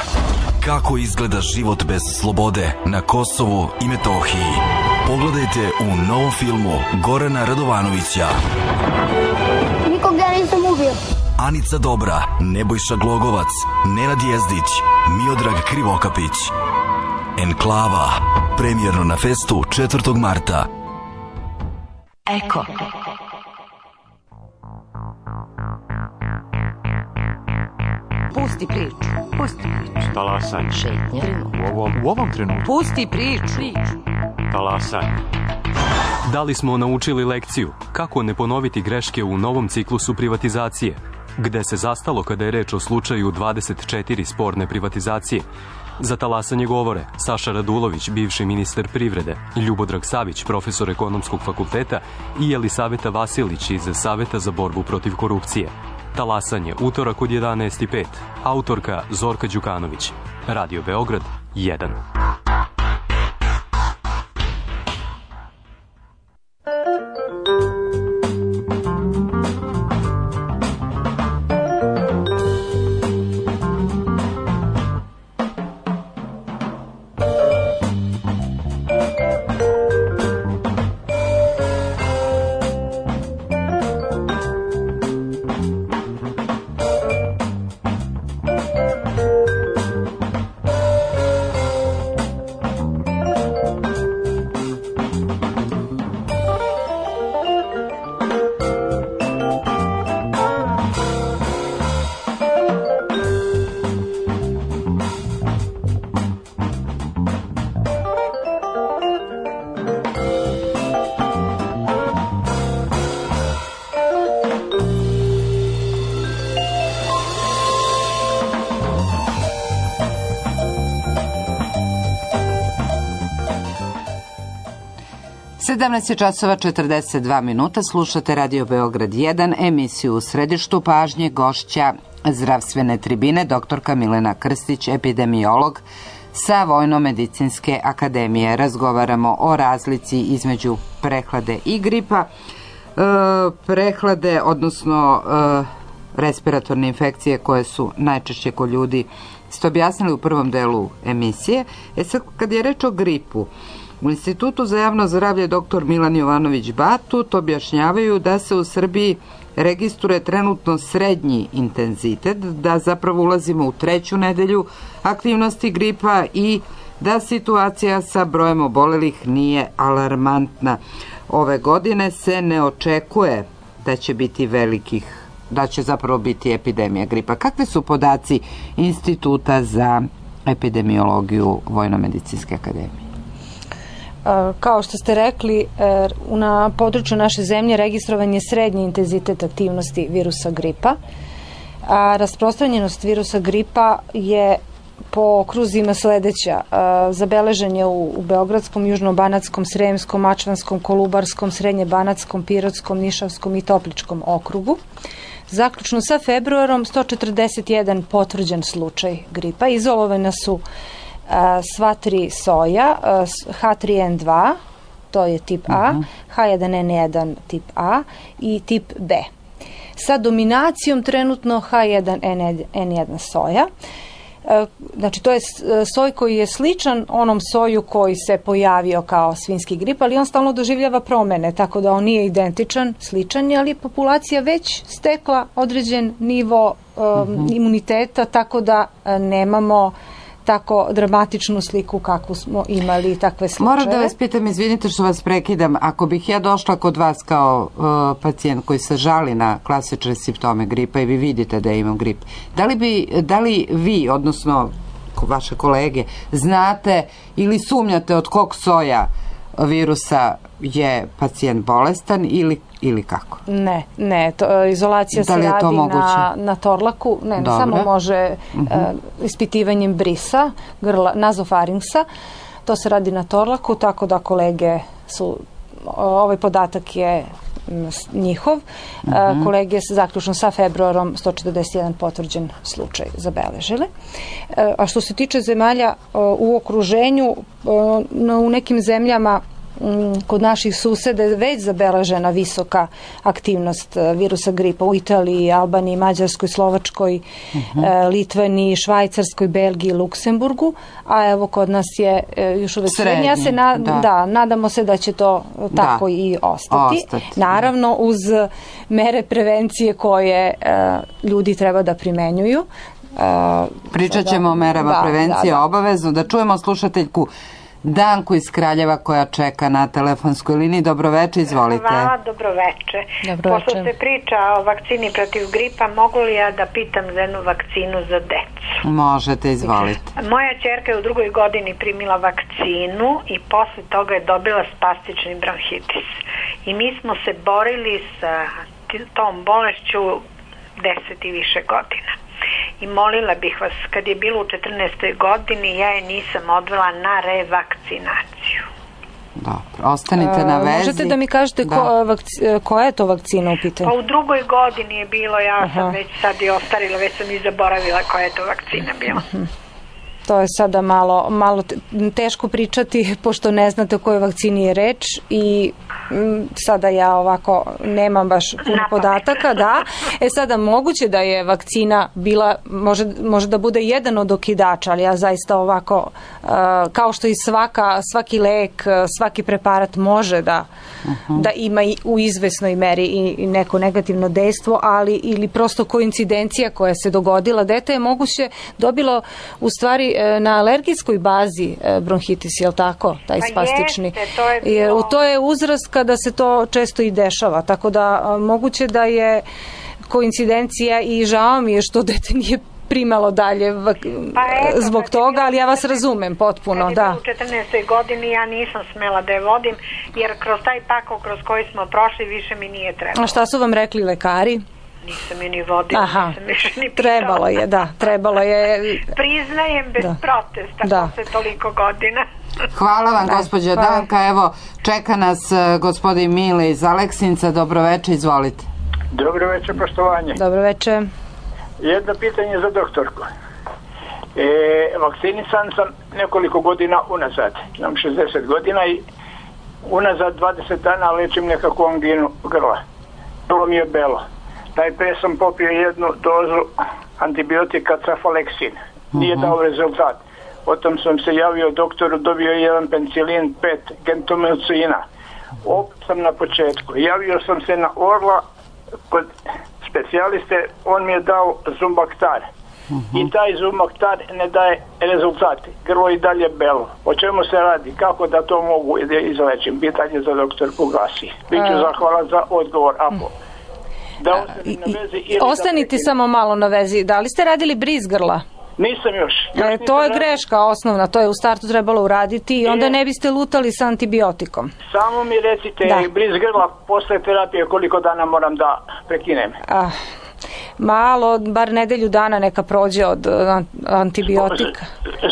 Speaker 11: Kako izgleda život bez slobode na Kosovu i Metohiji? Pogledajte u novom filmu Gorana Radovanovića.
Speaker 15: Nikog ja nisam ubio.
Speaker 11: Anica Dobra, Nebojša Glogovac, Nenad Jezdić, Miodrag Krivokapić. Enklava, premijerno na festu 4. marta.
Speaker 12: Eko.
Speaker 2: Pusti priču. Pusti priču.
Speaker 16: Talasanje.
Speaker 2: Šetnje.
Speaker 16: U ovom trenutku.
Speaker 2: Pusti priču.
Speaker 16: Talasanje.
Speaker 17: Da li smo naučili lekciju kako ne ponoviti greške u novom ciklusu privatizacije? Gde se zastalo kada je reč o slučaju 24 sporne privatizacije? Za talasanje govore Saša Radulović, bivši ministar privrede, Ljubodrag Savić, profesor ekonomskog fakulteta i Jelisaveta Vasilić iz Saveta za borbu protiv korupcije. Talasanje, utorak od 11:05. Autorka Zorka Đukanović. Radio Beograd 1.
Speaker 2: Sedamnaest je časova 42 minuta, slušate Radio Beograd 1, emisiju U središtu pažnje, gošća zdravstvene tribine, doktorka Milena Krstić, epidemiolog sa Vojno-medicinske akademije. Razgovaramo o razlici između prehlade i gripa. Prehlade, odnosno respiratorne infekcije koje su najčešće kod ljudi, ste objasnili u prvom delu emisije. Sad, kad je reč o gripu, u Institutu za javno zdravlje dr. Milan Jovanović Batut objašnjavaju da se u Srbiji registruje trenutno srednji intenzitet, da zapravo ulazimo u 3. nedelju aktivnosti gripa i da situacija sa brojem obolelih nije alarmantna. Ove godine se ne očekuje da će biti da će zapravo biti epidemija gripa. Kakvi su podaci Instituta za epidemiologiju Vojno-medicinske akademije?
Speaker 3: Kao što ste rekli, na području naše zemlje registrovan je srednji intenzitet aktivnosti virusa gripa, a rasprostranjenost virusa gripa je po okruzima sledeća. Zabeležen je u Beogradskom, Južnobanatskom, Sremskom, Mačvanskom, Kolubarskom, Srednjebanatskom, Pirotskom, Nišavskom i Topličkom okrugu. Zaključno sa februarom 141 potvrđen slučaj gripa. Izolovana su sva tri soja, H3N2, to je tip A, H1N1 tip A i tip B. Sa dominacijom trenutno H1N1 soja. Znači, to je soj koji je sličan onom soju koji se pojavio kao svinjski grip, ali on stalno doživljava promene, tako da on nije identičan, sličan je, ali populacija već stekla određen nivo imuniteta, tako da nemamo tako dramatičnu sliku kakvu smo imali takve slučaje.
Speaker 2: Moram da vas pitam, izvinite što vas prekidam, ako bih ja došla kod vas kao pacijent koji se žali na klasične simptome gripa i vi vidite da imam grip, da li vi, odnosno vaše kolege, znate ili sumnjate od kog soja virusa je pacijent bolestan ili kako?
Speaker 3: Ne, izolacija se radi na torlaku, samo može ispitivanjem brisa, grla, nazofarinksa, to se radi na torlaku, tako da kolege su, ovaj podatak je njihov, kolege se zaključno sa februarom 141 potvrđen slučaj zabeležile. A što se tiče zemalja u okruženju, u nekim zemljama kod naših suseda je već zabeležena visoka aktivnost virusa gripa u Italiji, Albaniji, Mađarskoj, Slovačkoj, Litvaniji, Švajcarskoj, Belgiji, Luksemburgu, a evo kod nas je još uvek srednji. Nadamo se da će to tako i ostati. Naravno, uz mere prevencije koje ljudi treba da primenjuju.
Speaker 2: Pričat ćemo o merama prevencije obavezno. Da čujemo slušateljku Danku iz Kraljeva koja čeka na telefonskoj liniji. Dobroveče, izvolite.
Speaker 18: Hvala, dobroveče. Pošto se priča o vakcini protiv gripa, mogu li ja da pitam za jednu vakcinu za decu?
Speaker 2: Možete, izvolite.
Speaker 18: Moja ćerka je u 2. godini primila vakcinu i posle toga je dobila spastični bronhitis. I mi smo se borili sa tom bolešću 10 i više godina. I molila bih vas, kad je bilo u 14. godini, ja je nisam odvela na revakcinaciju.
Speaker 2: Dobro, ostanite na vezi.
Speaker 3: Možete da mi kažete koja je to vakcina u pitanju?
Speaker 18: Pa u 2. godini je bilo, ja sam već sad i ostarila, već sam i zaboravila koja je to vakcina bila.
Speaker 3: To je sada malo teško pričati, pošto ne znate o kojoj vakcini je reč i sada ja ovako nemam baš puno podataka, sada moguće da je vakcina bila, može da bude jedan od okidača, ali ja zaista ovako, kao što i svaki lek, svaki preparat može da ima i u izvesnoj meri i neko negativno dejstvo, ali ili prosto koincidencija koja se dogodila. Dete je moguće dobilo u stvari na alergijskoj bazi bronhitis, je li tako, taj spastični? To je uzrast kada se to često i dešava, tako da moguće da je koincidencija i žao mi je što dete nije primalo dalje zbog toga, ali ja vas razumem potpuno.
Speaker 18: Kad je bilo u 14. godini ja nisam smela da je vodim, jer kroz taj pakao kroz koji smo prošli više mi nije trebalo.
Speaker 3: A šta su vam rekli lekari?
Speaker 18: Nisam je ni vodila, nisam više ni pitala.
Speaker 3: Trebalo je.
Speaker 18: Priznajem bez protesta posle toliko godina.
Speaker 2: Hvala vam, gospođa Danka. Evo, čeka nas gospodin Mile iz Aleksinca. Dobroveče, izvolite.
Speaker 19: Dobroveče, poštovanje.
Speaker 3: Dobroveče.
Speaker 19: Jedno pitanje za doktorku. Vakcinisan sam nekoliko godina unazad. Imam 60 godina i unazad 20 dana lečim nekakvu anginu grla. Bilo mi je belo. Najprije sam popio jednu dozu antibiotika Cefalexin. Nije dao rezultat. Potom sam se javio doktoru, dobio jedan penicilin 5 gentamicina. Opet sam na početku. Javio sam se na Orla kod specijaliste, on mi je dao Zumbaktar. I taj Zumbaktar ne daje rezultate. Grlo i dalje belo. O čemu se radi? Kako da to mogu da izlečim? Pitanje za doktorku glasi. Biću zahvalan za odgovor.
Speaker 3: Ostanite samo malo na vezi. Da li ste radili briz grla?
Speaker 19: Nisam još.
Speaker 3: To je greška osnovna, to je u startu trebalo uraditi i onda ne biste lutali sa antibiotikom.
Speaker 19: Samo mi recite, bliz grla posle terapije koliko dana moram da prekinem?
Speaker 3: Malo, bar nedelju dana neka prođe od antibiotika.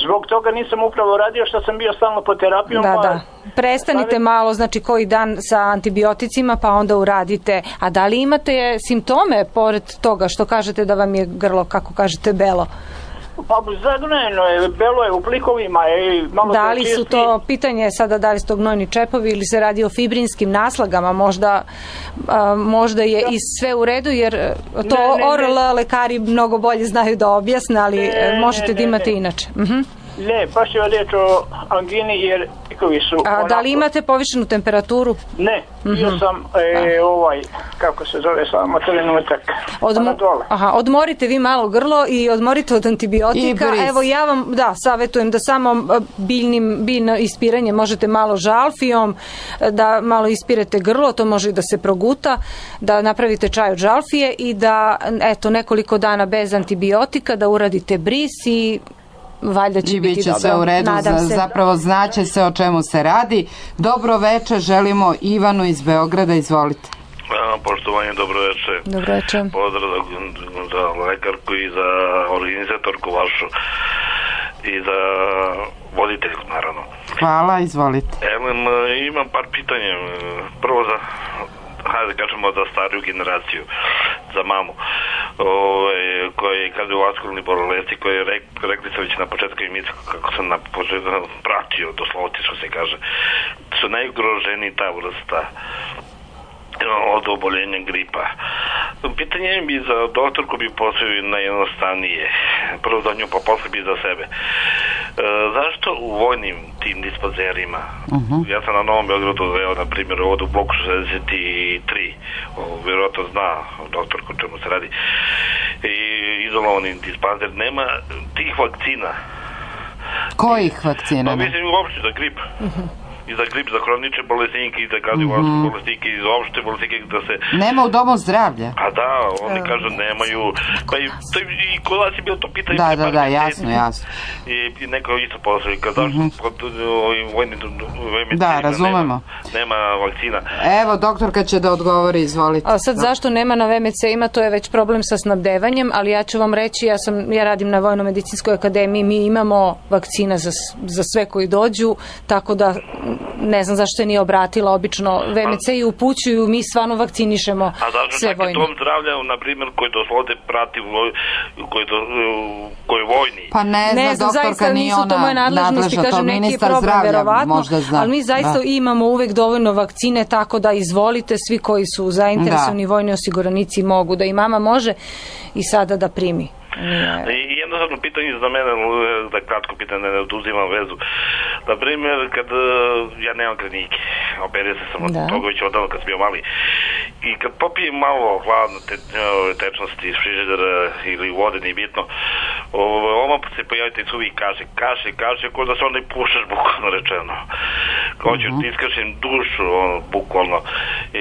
Speaker 19: Zbog toga nisam upravo radio što sam bio stalno po terapijom.
Speaker 3: Da. Prestanite malo, znači koji dan sa antibioticima, pa onda uradite. A da li imate simptome pored toga što kažete da vam je grlo, kako kažete, belo?
Speaker 19: Pa zagnojeno je, belo je u plikovima.
Speaker 3: Da li su to, pitanje je sada da li su to gnojni čepovi ili se radi o fibrinskim naslagama, možda je i sve u redu, jer to ORL lekari mnogo bolje znaju da objasne, ali možete da imate inače.
Speaker 19: Ne, baš je riječ o angini jer pikovi su...
Speaker 3: Da li imate povišenu temperaturu?
Speaker 19: Ne, bio sam kako se zove samo trenutak.
Speaker 3: Odmorite vi malo grlo i odmorite od antibiotika. Evo ja vam savjetujem da samo biljno ispiranje možete malo žalfijom, da malo ispirete grlo, to može i da se proguta, da napravite čaj od žalfije i da nekoliko dana bez antibiotika, da uradite bris i valjda će biti dobro.
Speaker 2: Sve u redu, zapravo znaće se o čemu se radi. Dobro večer, želimo Ivanu iz Beograda, izvolite.
Speaker 20: Poštovanje, dobro večer.
Speaker 3: Dobro večer.
Speaker 20: Pozdrav za lekarku i za organizatorku vašu i za voditeljku, naravno.
Speaker 2: Hvala, izvolite.
Speaker 20: Imam par pitanja. Prvo hajde da kažemo za stariju generaciju, za mamu, koja je kardiovaskularni bolesti, koja je rekli sam već na početku emisije, kako sam pratio, doslovno što se kaže, su najugroženiji ta vrsta od oboljenja gripa. Pitanje bi za doktorku bi postavio najjednostavnije. Prvo za nju, pa posle bi za sebe. Zašto u vojnim tim dispanzerima, ja sam na Novom Beogradu veo, na primjer, ovdje u bloku 63, vjerojatno zna doktorku o čemu se radi, i izolovani dispanzer, nema tih vakcina.
Speaker 2: Kojih vakcina?
Speaker 20: Pa mislim uopšte za grip. I za grip, za hronične bolesnike, i za kardiovaskularne bolesnike, i za opšte bolesnike, da se...
Speaker 2: Nema u domu zdravlja?
Speaker 20: A da, oni kažu nemaju... Pa i kod vas je bilo to pitanje...
Speaker 2: Da, jasno.
Speaker 20: I neko isto poslali, kad zašto pod vojnim...
Speaker 2: Da, razumemo.
Speaker 20: Nema vakcina.
Speaker 2: Evo, doktorka će da odgovori, izvolite.
Speaker 3: A sad zašto nema na VMC-ima, to je već problem sa snabdevanjem, ali ja ću vam reći, ja radim na Vojno-medicinskoj akademiji, mi imamo vakcina za sve koji dođu, tako da ne znam zašto je nije obratila, obično VMC i upućuju, mi stvarno vakcinišemo sve vojne. A zašto čak i dom
Speaker 20: zdravlja, na primjer, koji doslovno prati, koji je vojni?
Speaker 2: Pa ne znam, doktorka nije ona nadležna, to ministar zdravlja možda zna.
Speaker 3: Ali mi zaista imamo uvek dovoljno vakcine, tako da izvolite, svi koji su zainteresovani vojni osiguranici mogu, da i mama može i sada da primi.
Speaker 20: I jednostavno pitanje za mene, da kratko pitanje, ne oduzimam vezu. Na primjer, kad ja nemam klinike, operio sam od toga već odavno kad sam bio mali, i kad popijem malo hladne tečnosti iz frižidera ili vode, nije bitno, oma se pojavite i suvi kaše, ko da se onda i pušaš, bukvalno rečeno. Hoću da iskašem dušu, bukvalno.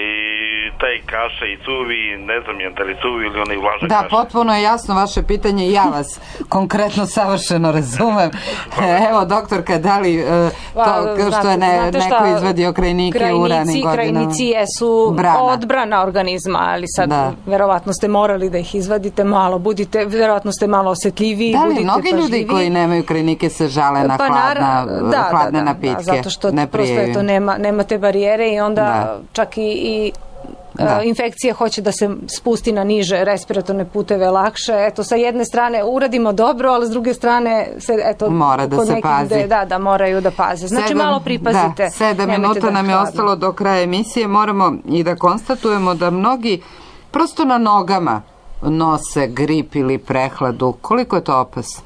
Speaker 20: I taj kaša i suvi, ne znam je da li suvi ili onaj vlažan kaša.
Speaker 2: Da, potpuno je jasno vaše pitanje, ja vas konkretno savršeno razumem. Evo, doktorka, da li to što je neko izvadio krajnike u ranim godinama?
Speaker 3: Krajnici jesu odbrana organizma, ali sad verovatno ste morali da ih izvadite malo, verovatno ste malo osjetljiviji,
Speaker 2: budite pažljiviji. Da li mnogi ljudi koji nemaju krajnike se žale na hladne napitke?
Speaker 3: Zato što prosto nema te barijere i onda čak i infekcija hoće da se spusti na niže respiratorne puteve lakše. Eto, sa jedne strane uradimo dobro, ali s druge strane
Speaker 2: mora da se pazi.
Speaker 3: Da, moraju da paze. Znači malo pripazite.
Speaker 2: 7 minuta nam je ostalo do kraja emisije. Moramo i da konstatujemo da mnogi prosto na nogama nose grip ili prehladu. Koliko je to opasno?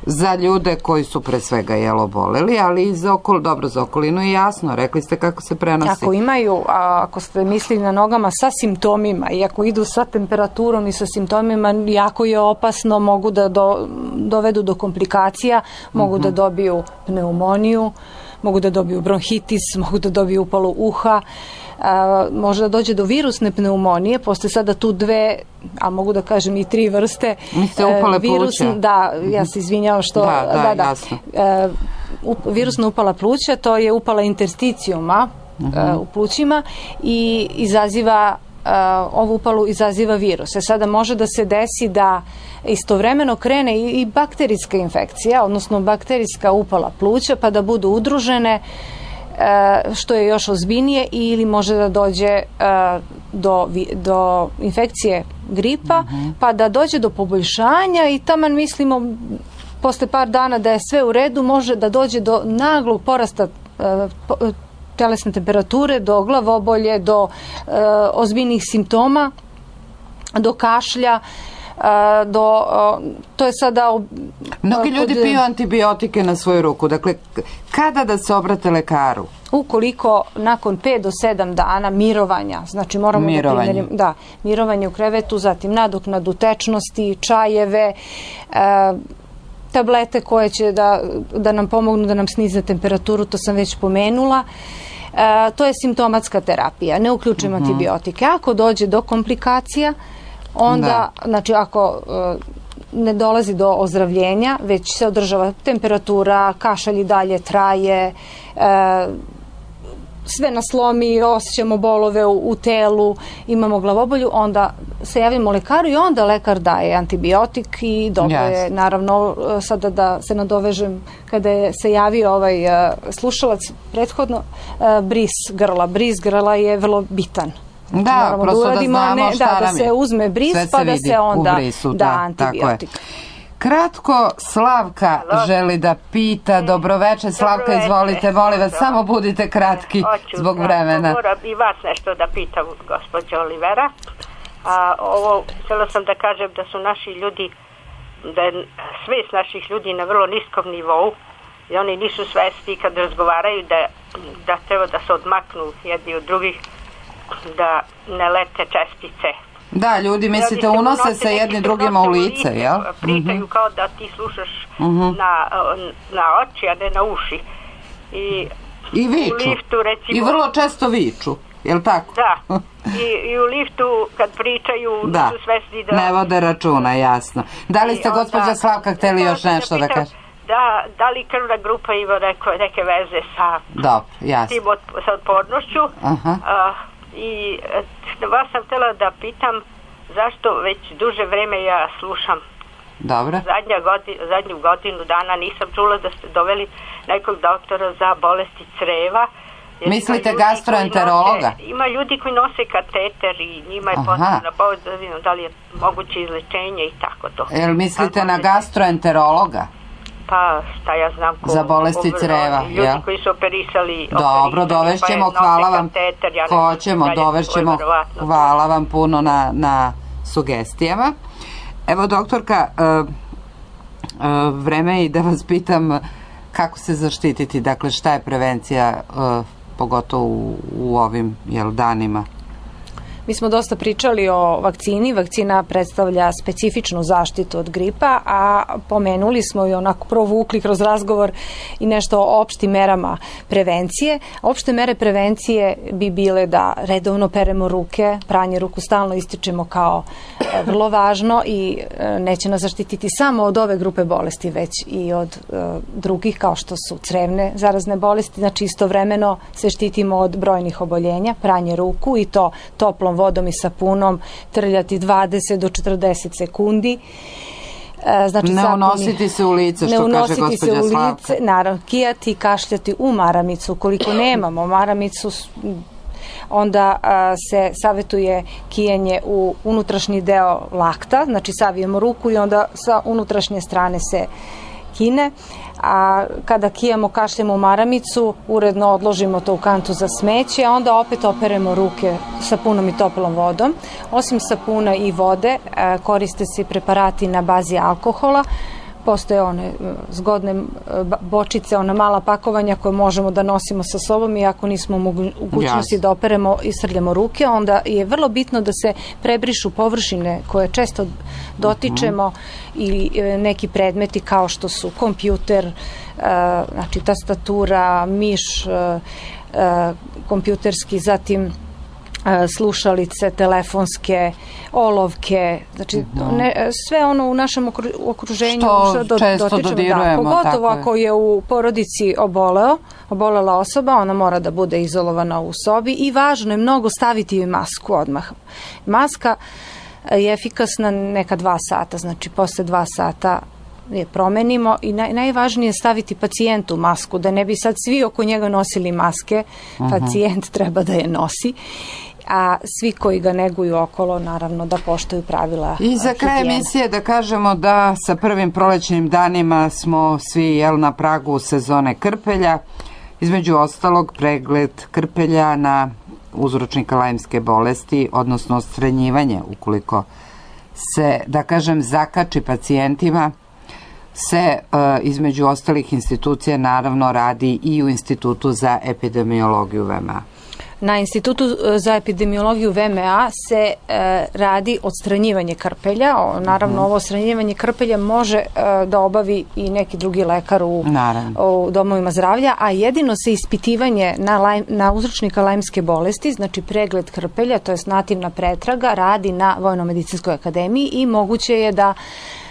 Speaker 2: Za ljude koji su pre svega oboleli, ali i za okolinu je jasno. Rekli ste kako se prenosi.
Speaker 3: Ako imaju, ako ste mislili na nogama sa simptomima i ako idu sa temperaturom i sa simptomima, jako je opasno, mogu da dovedu do komplikacija, mogu da dobiju pneumoniju, mogu da dobiju bronhitis, mogu da dobiju upalu uha. može da dođe do virusne pneumonije, postoje sada tu dve, a mogu da kažem i 3 vrste.
Speaker 2: Upale pluća?
Speaker 3: Da, ja se izvinjavam što...
Speaker 2: Jasno.
Speaker 3: Virusna upala pluća, to je upala intersticijuma u plućima i izaziva ovu upalu izaziva virus. Sada može da se desi da istovremeno krene i bakterijska infekcija, odnosno bakterijska upala pluća, pa da budu udružene, što je još ozbiljnije, ili može da dođe do infekcije gripa, pa da dođe do poboljšanja i taman mislimo posle par dana da je sve u redu, može da dođe do naglog porasta telesne temperature, do glavobolje, do ozbiljnih simptoma, do kašlja, to je sada...
Speaker 2: Mnogi ljudi piju antibiotike na svoju ruku. Dakle, kada da se obrate lekaru?
Speaker 3: Ukoliko nakon 5 do 7 dana mirovanja, znači moramo da primerimo mirovanje u krevetu, zatim nadoknadu tečnosti, čajeve, tablete koje će da nam pomognu da nam snize temperaturu, to sam već pomenula. To je simptomatska terapija, ne uključujemo antibiotike. Ako dođe do komplikacija, onda, znači ako ne dolazi do ozdravljenja, već se održava temperatura, kašalj i dalje traje, sve nas lomi, osjećamo bolove u telu, imamo glavobolju, onda se javimo lekaru i onda lekar daje antibiotik i dobro je, naravno, sada da se nadovežem, kada je se javio ovaj slušalac prethodno, bris grla. Bris grla je vrlo bitan.
Speaker 2: Da, prosto da znamo šta nam je.
Speaker 3: Da se uzme bris, pa da se onda da antibiotik.
Speaker 2: Kratko, Slavka želi da pita. Dobroveče, Slavka, izvolite, molim vas, samo budite kratki zbog vremena.
Speaker 21: Moram i vas nešto da pitam, gospođo Olivera. Htjela sam da kažem da su naši ljudi, da je svest naših ljudi na vrlo niskom nivou i oni nisu svesti kad razgovaraju da treba da se odmaknu jedni od drugih, da ne lete čestice.
Speaker 2: Da, ljudi, mislite, unose se jedni drugima u lice, jel?
Speaker 21: Pričaju kao da ti slušaš na oči, a ne na uši.
Speaker 2: I viču. I vrlo često viču, jel tako?
Speaker 21: Da. I u liftu kad pričaju su svesni da...
Speaker 2: ne vode računa, jasno. Da li ste, gospođa Slavka, hteli još nešto da kažete?
Speaker 21: Da li krvna grupa ima neke veze sa tim sa otpornošću? I vas sam htjela da pitam zašto već duže vreme ja slušam.
Speaker 2: Dobro.
Speaker 21: Zadnju godinu dana nisam čula da ste doveli nekog doktora za bolesti creva.
Speaker 2: Mislite gastroenterologa?
Speaker 21: Ima ljudi koji nose kateter i njima je potrebna pomoć da li je moguće izlečenje i tako to.
Speaker 2: Jel mislite na gastroenterologa?
Speaker 21: Pa šta ja znam
Speaker 2: za bolesti creva,
Speaker 21: ljudi koji su operisali.
Speaker 2: Dobro, dovešćemo, hvala vam. Hoćemo, dovešćemo, hvala vam puno na sugestijama. Evo, doktorka, vreme je da vas pitam kako se zaštititi, dakle šta je prevencija, pogotovo u ovim danima.
Speaker 3: Mi smo dosta pričali o vakcini. Vakcina predstavlja specifičnu zaštitu od gripa, a pomenuli smo i onako provukli kroz razgovor i nešto o opštim merama prevencije. Opšte mere prevencije bi bile da redovno peremo ruke, pranje ruku stalno ističemo kao vrlo važno i neće nas zaštititi samo od ove grupe bolesti, već i od drugih kao što su crevne zarazne bolesti. Znači istovremeno se štitimo od brojnih oboljenja, pranje ruku i to toplom vodom i sapunom, trljati 20 do 40 sekundi. Znači,
Speaker 2: ne unositi se u lice, što kaže gospođa Slavka.
Speaker 3: Naravno, kijati i kašljati u maramicu. Ukoliko nemamo maramicu, onda se savjetuje kijenje u unutrašnji deo lakta, znači savijemo ruku i onda sa unutrašnje strane se kine, a kada kijamo, kašljemo u maramicu, uredno odložimo to u kantu za smeće, a onda opet operemo ruke sapunom i toplom vodom. Osim sapuna i vode, koriste se preparati na bazi alkohola. Postoje one zgodne bočice, ona mala pakovanja koje možemo da nosimo sa sobom i ako nismo u mogućnosti da operemo i srljamo ruke, onda je vrlo bitno da se prebrišu površine koje često dotičemo ili neki predmeti kao što su kompjuter, znači tastatura, miš kompjuterski, zatim slušalice, telefonske, olovke, znači sve ono u našem okruženju
Speaker 2: što često dodirujemo.
Speaker 3: Pogotovo ako je u porodici obolela osoba, ona mora da bude izolovana u sobi i važno je mnogo staviti joj masku odmah. Maska je efikasna neka 2 sata, znači posle 2 sata je promenimo i najvažnije je staviti pacijentu masku, da ne bi sad svi oko njega nosili maske, pacijent treba da je nosi, a svi koji ga neguju okolo naravno da poštuju pravila
Speaker 2: I za kraj emisije da kažemo da sa prvim prolećnim danima smo svi na pragu sezone krpelja, između ostalog pregled krpelja na uzročnika lajmske bolesti, odnosno odstranjivanje ukoliko se, da kažem, zakači pacijentima, se između ostalih institucija naravno radi i u Institutu za epidemiologiju VMA.
Speaker 3: Na Institutu za epidemiologiju VMA se radi odstranjivanje krpelja. Naravno, ovo odstranjivanje krpelja može da obavi i neki drugi lekar u domovima zdravlja, a jedino se ispitivanje na uzročnika lajmske bolesti, znači pregled krpelja, to je nativna pretraga, radi na Vojno-medicinskoj akademiji i moguće je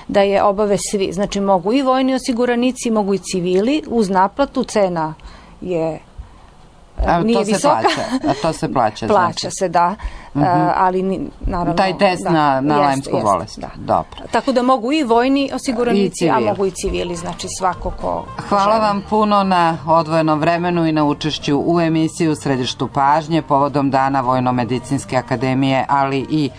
Speaker 3: da je obave svi. Znači, mogu i vojni osiguranici, mogu i civili, uz naplatu, cena je nije visoka.
Speaker 2: To se plaća.
Speaker 3: Plaća se, da. Ali naravno...
Speaker 2: Taj test na lajmsku bolest. Dobro.
Speaker 3: Tako da mogu i vojni osiguranici, a mogu i civili, znači svako ko...
Speaker 2: Hvala vam puno na odvojenom vremenu i na učešću u emisiji U središtu pažnje povodom Dana Vojno-medicinske akademije, ali i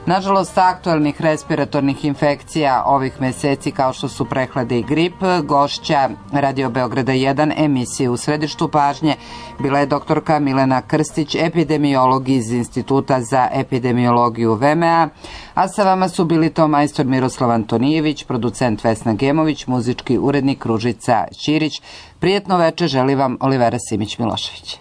Speaker 2: nažalost aktualnih respiratornih infekcija ovih meseci kao što su prehlade i grip. Gošća Radio Beograda 1 emisije U središtu pažnje bila je doktorka Milena Krstić, epidemiolog iz Instituta za epidemiologiju VMA, a sa vama su bili to majstor Miroslav Antonijević, producent Vesna Gemović, muzički urednik Ružica Ćirić. Prijetno veče želi vam Olivera Simić-Milošević.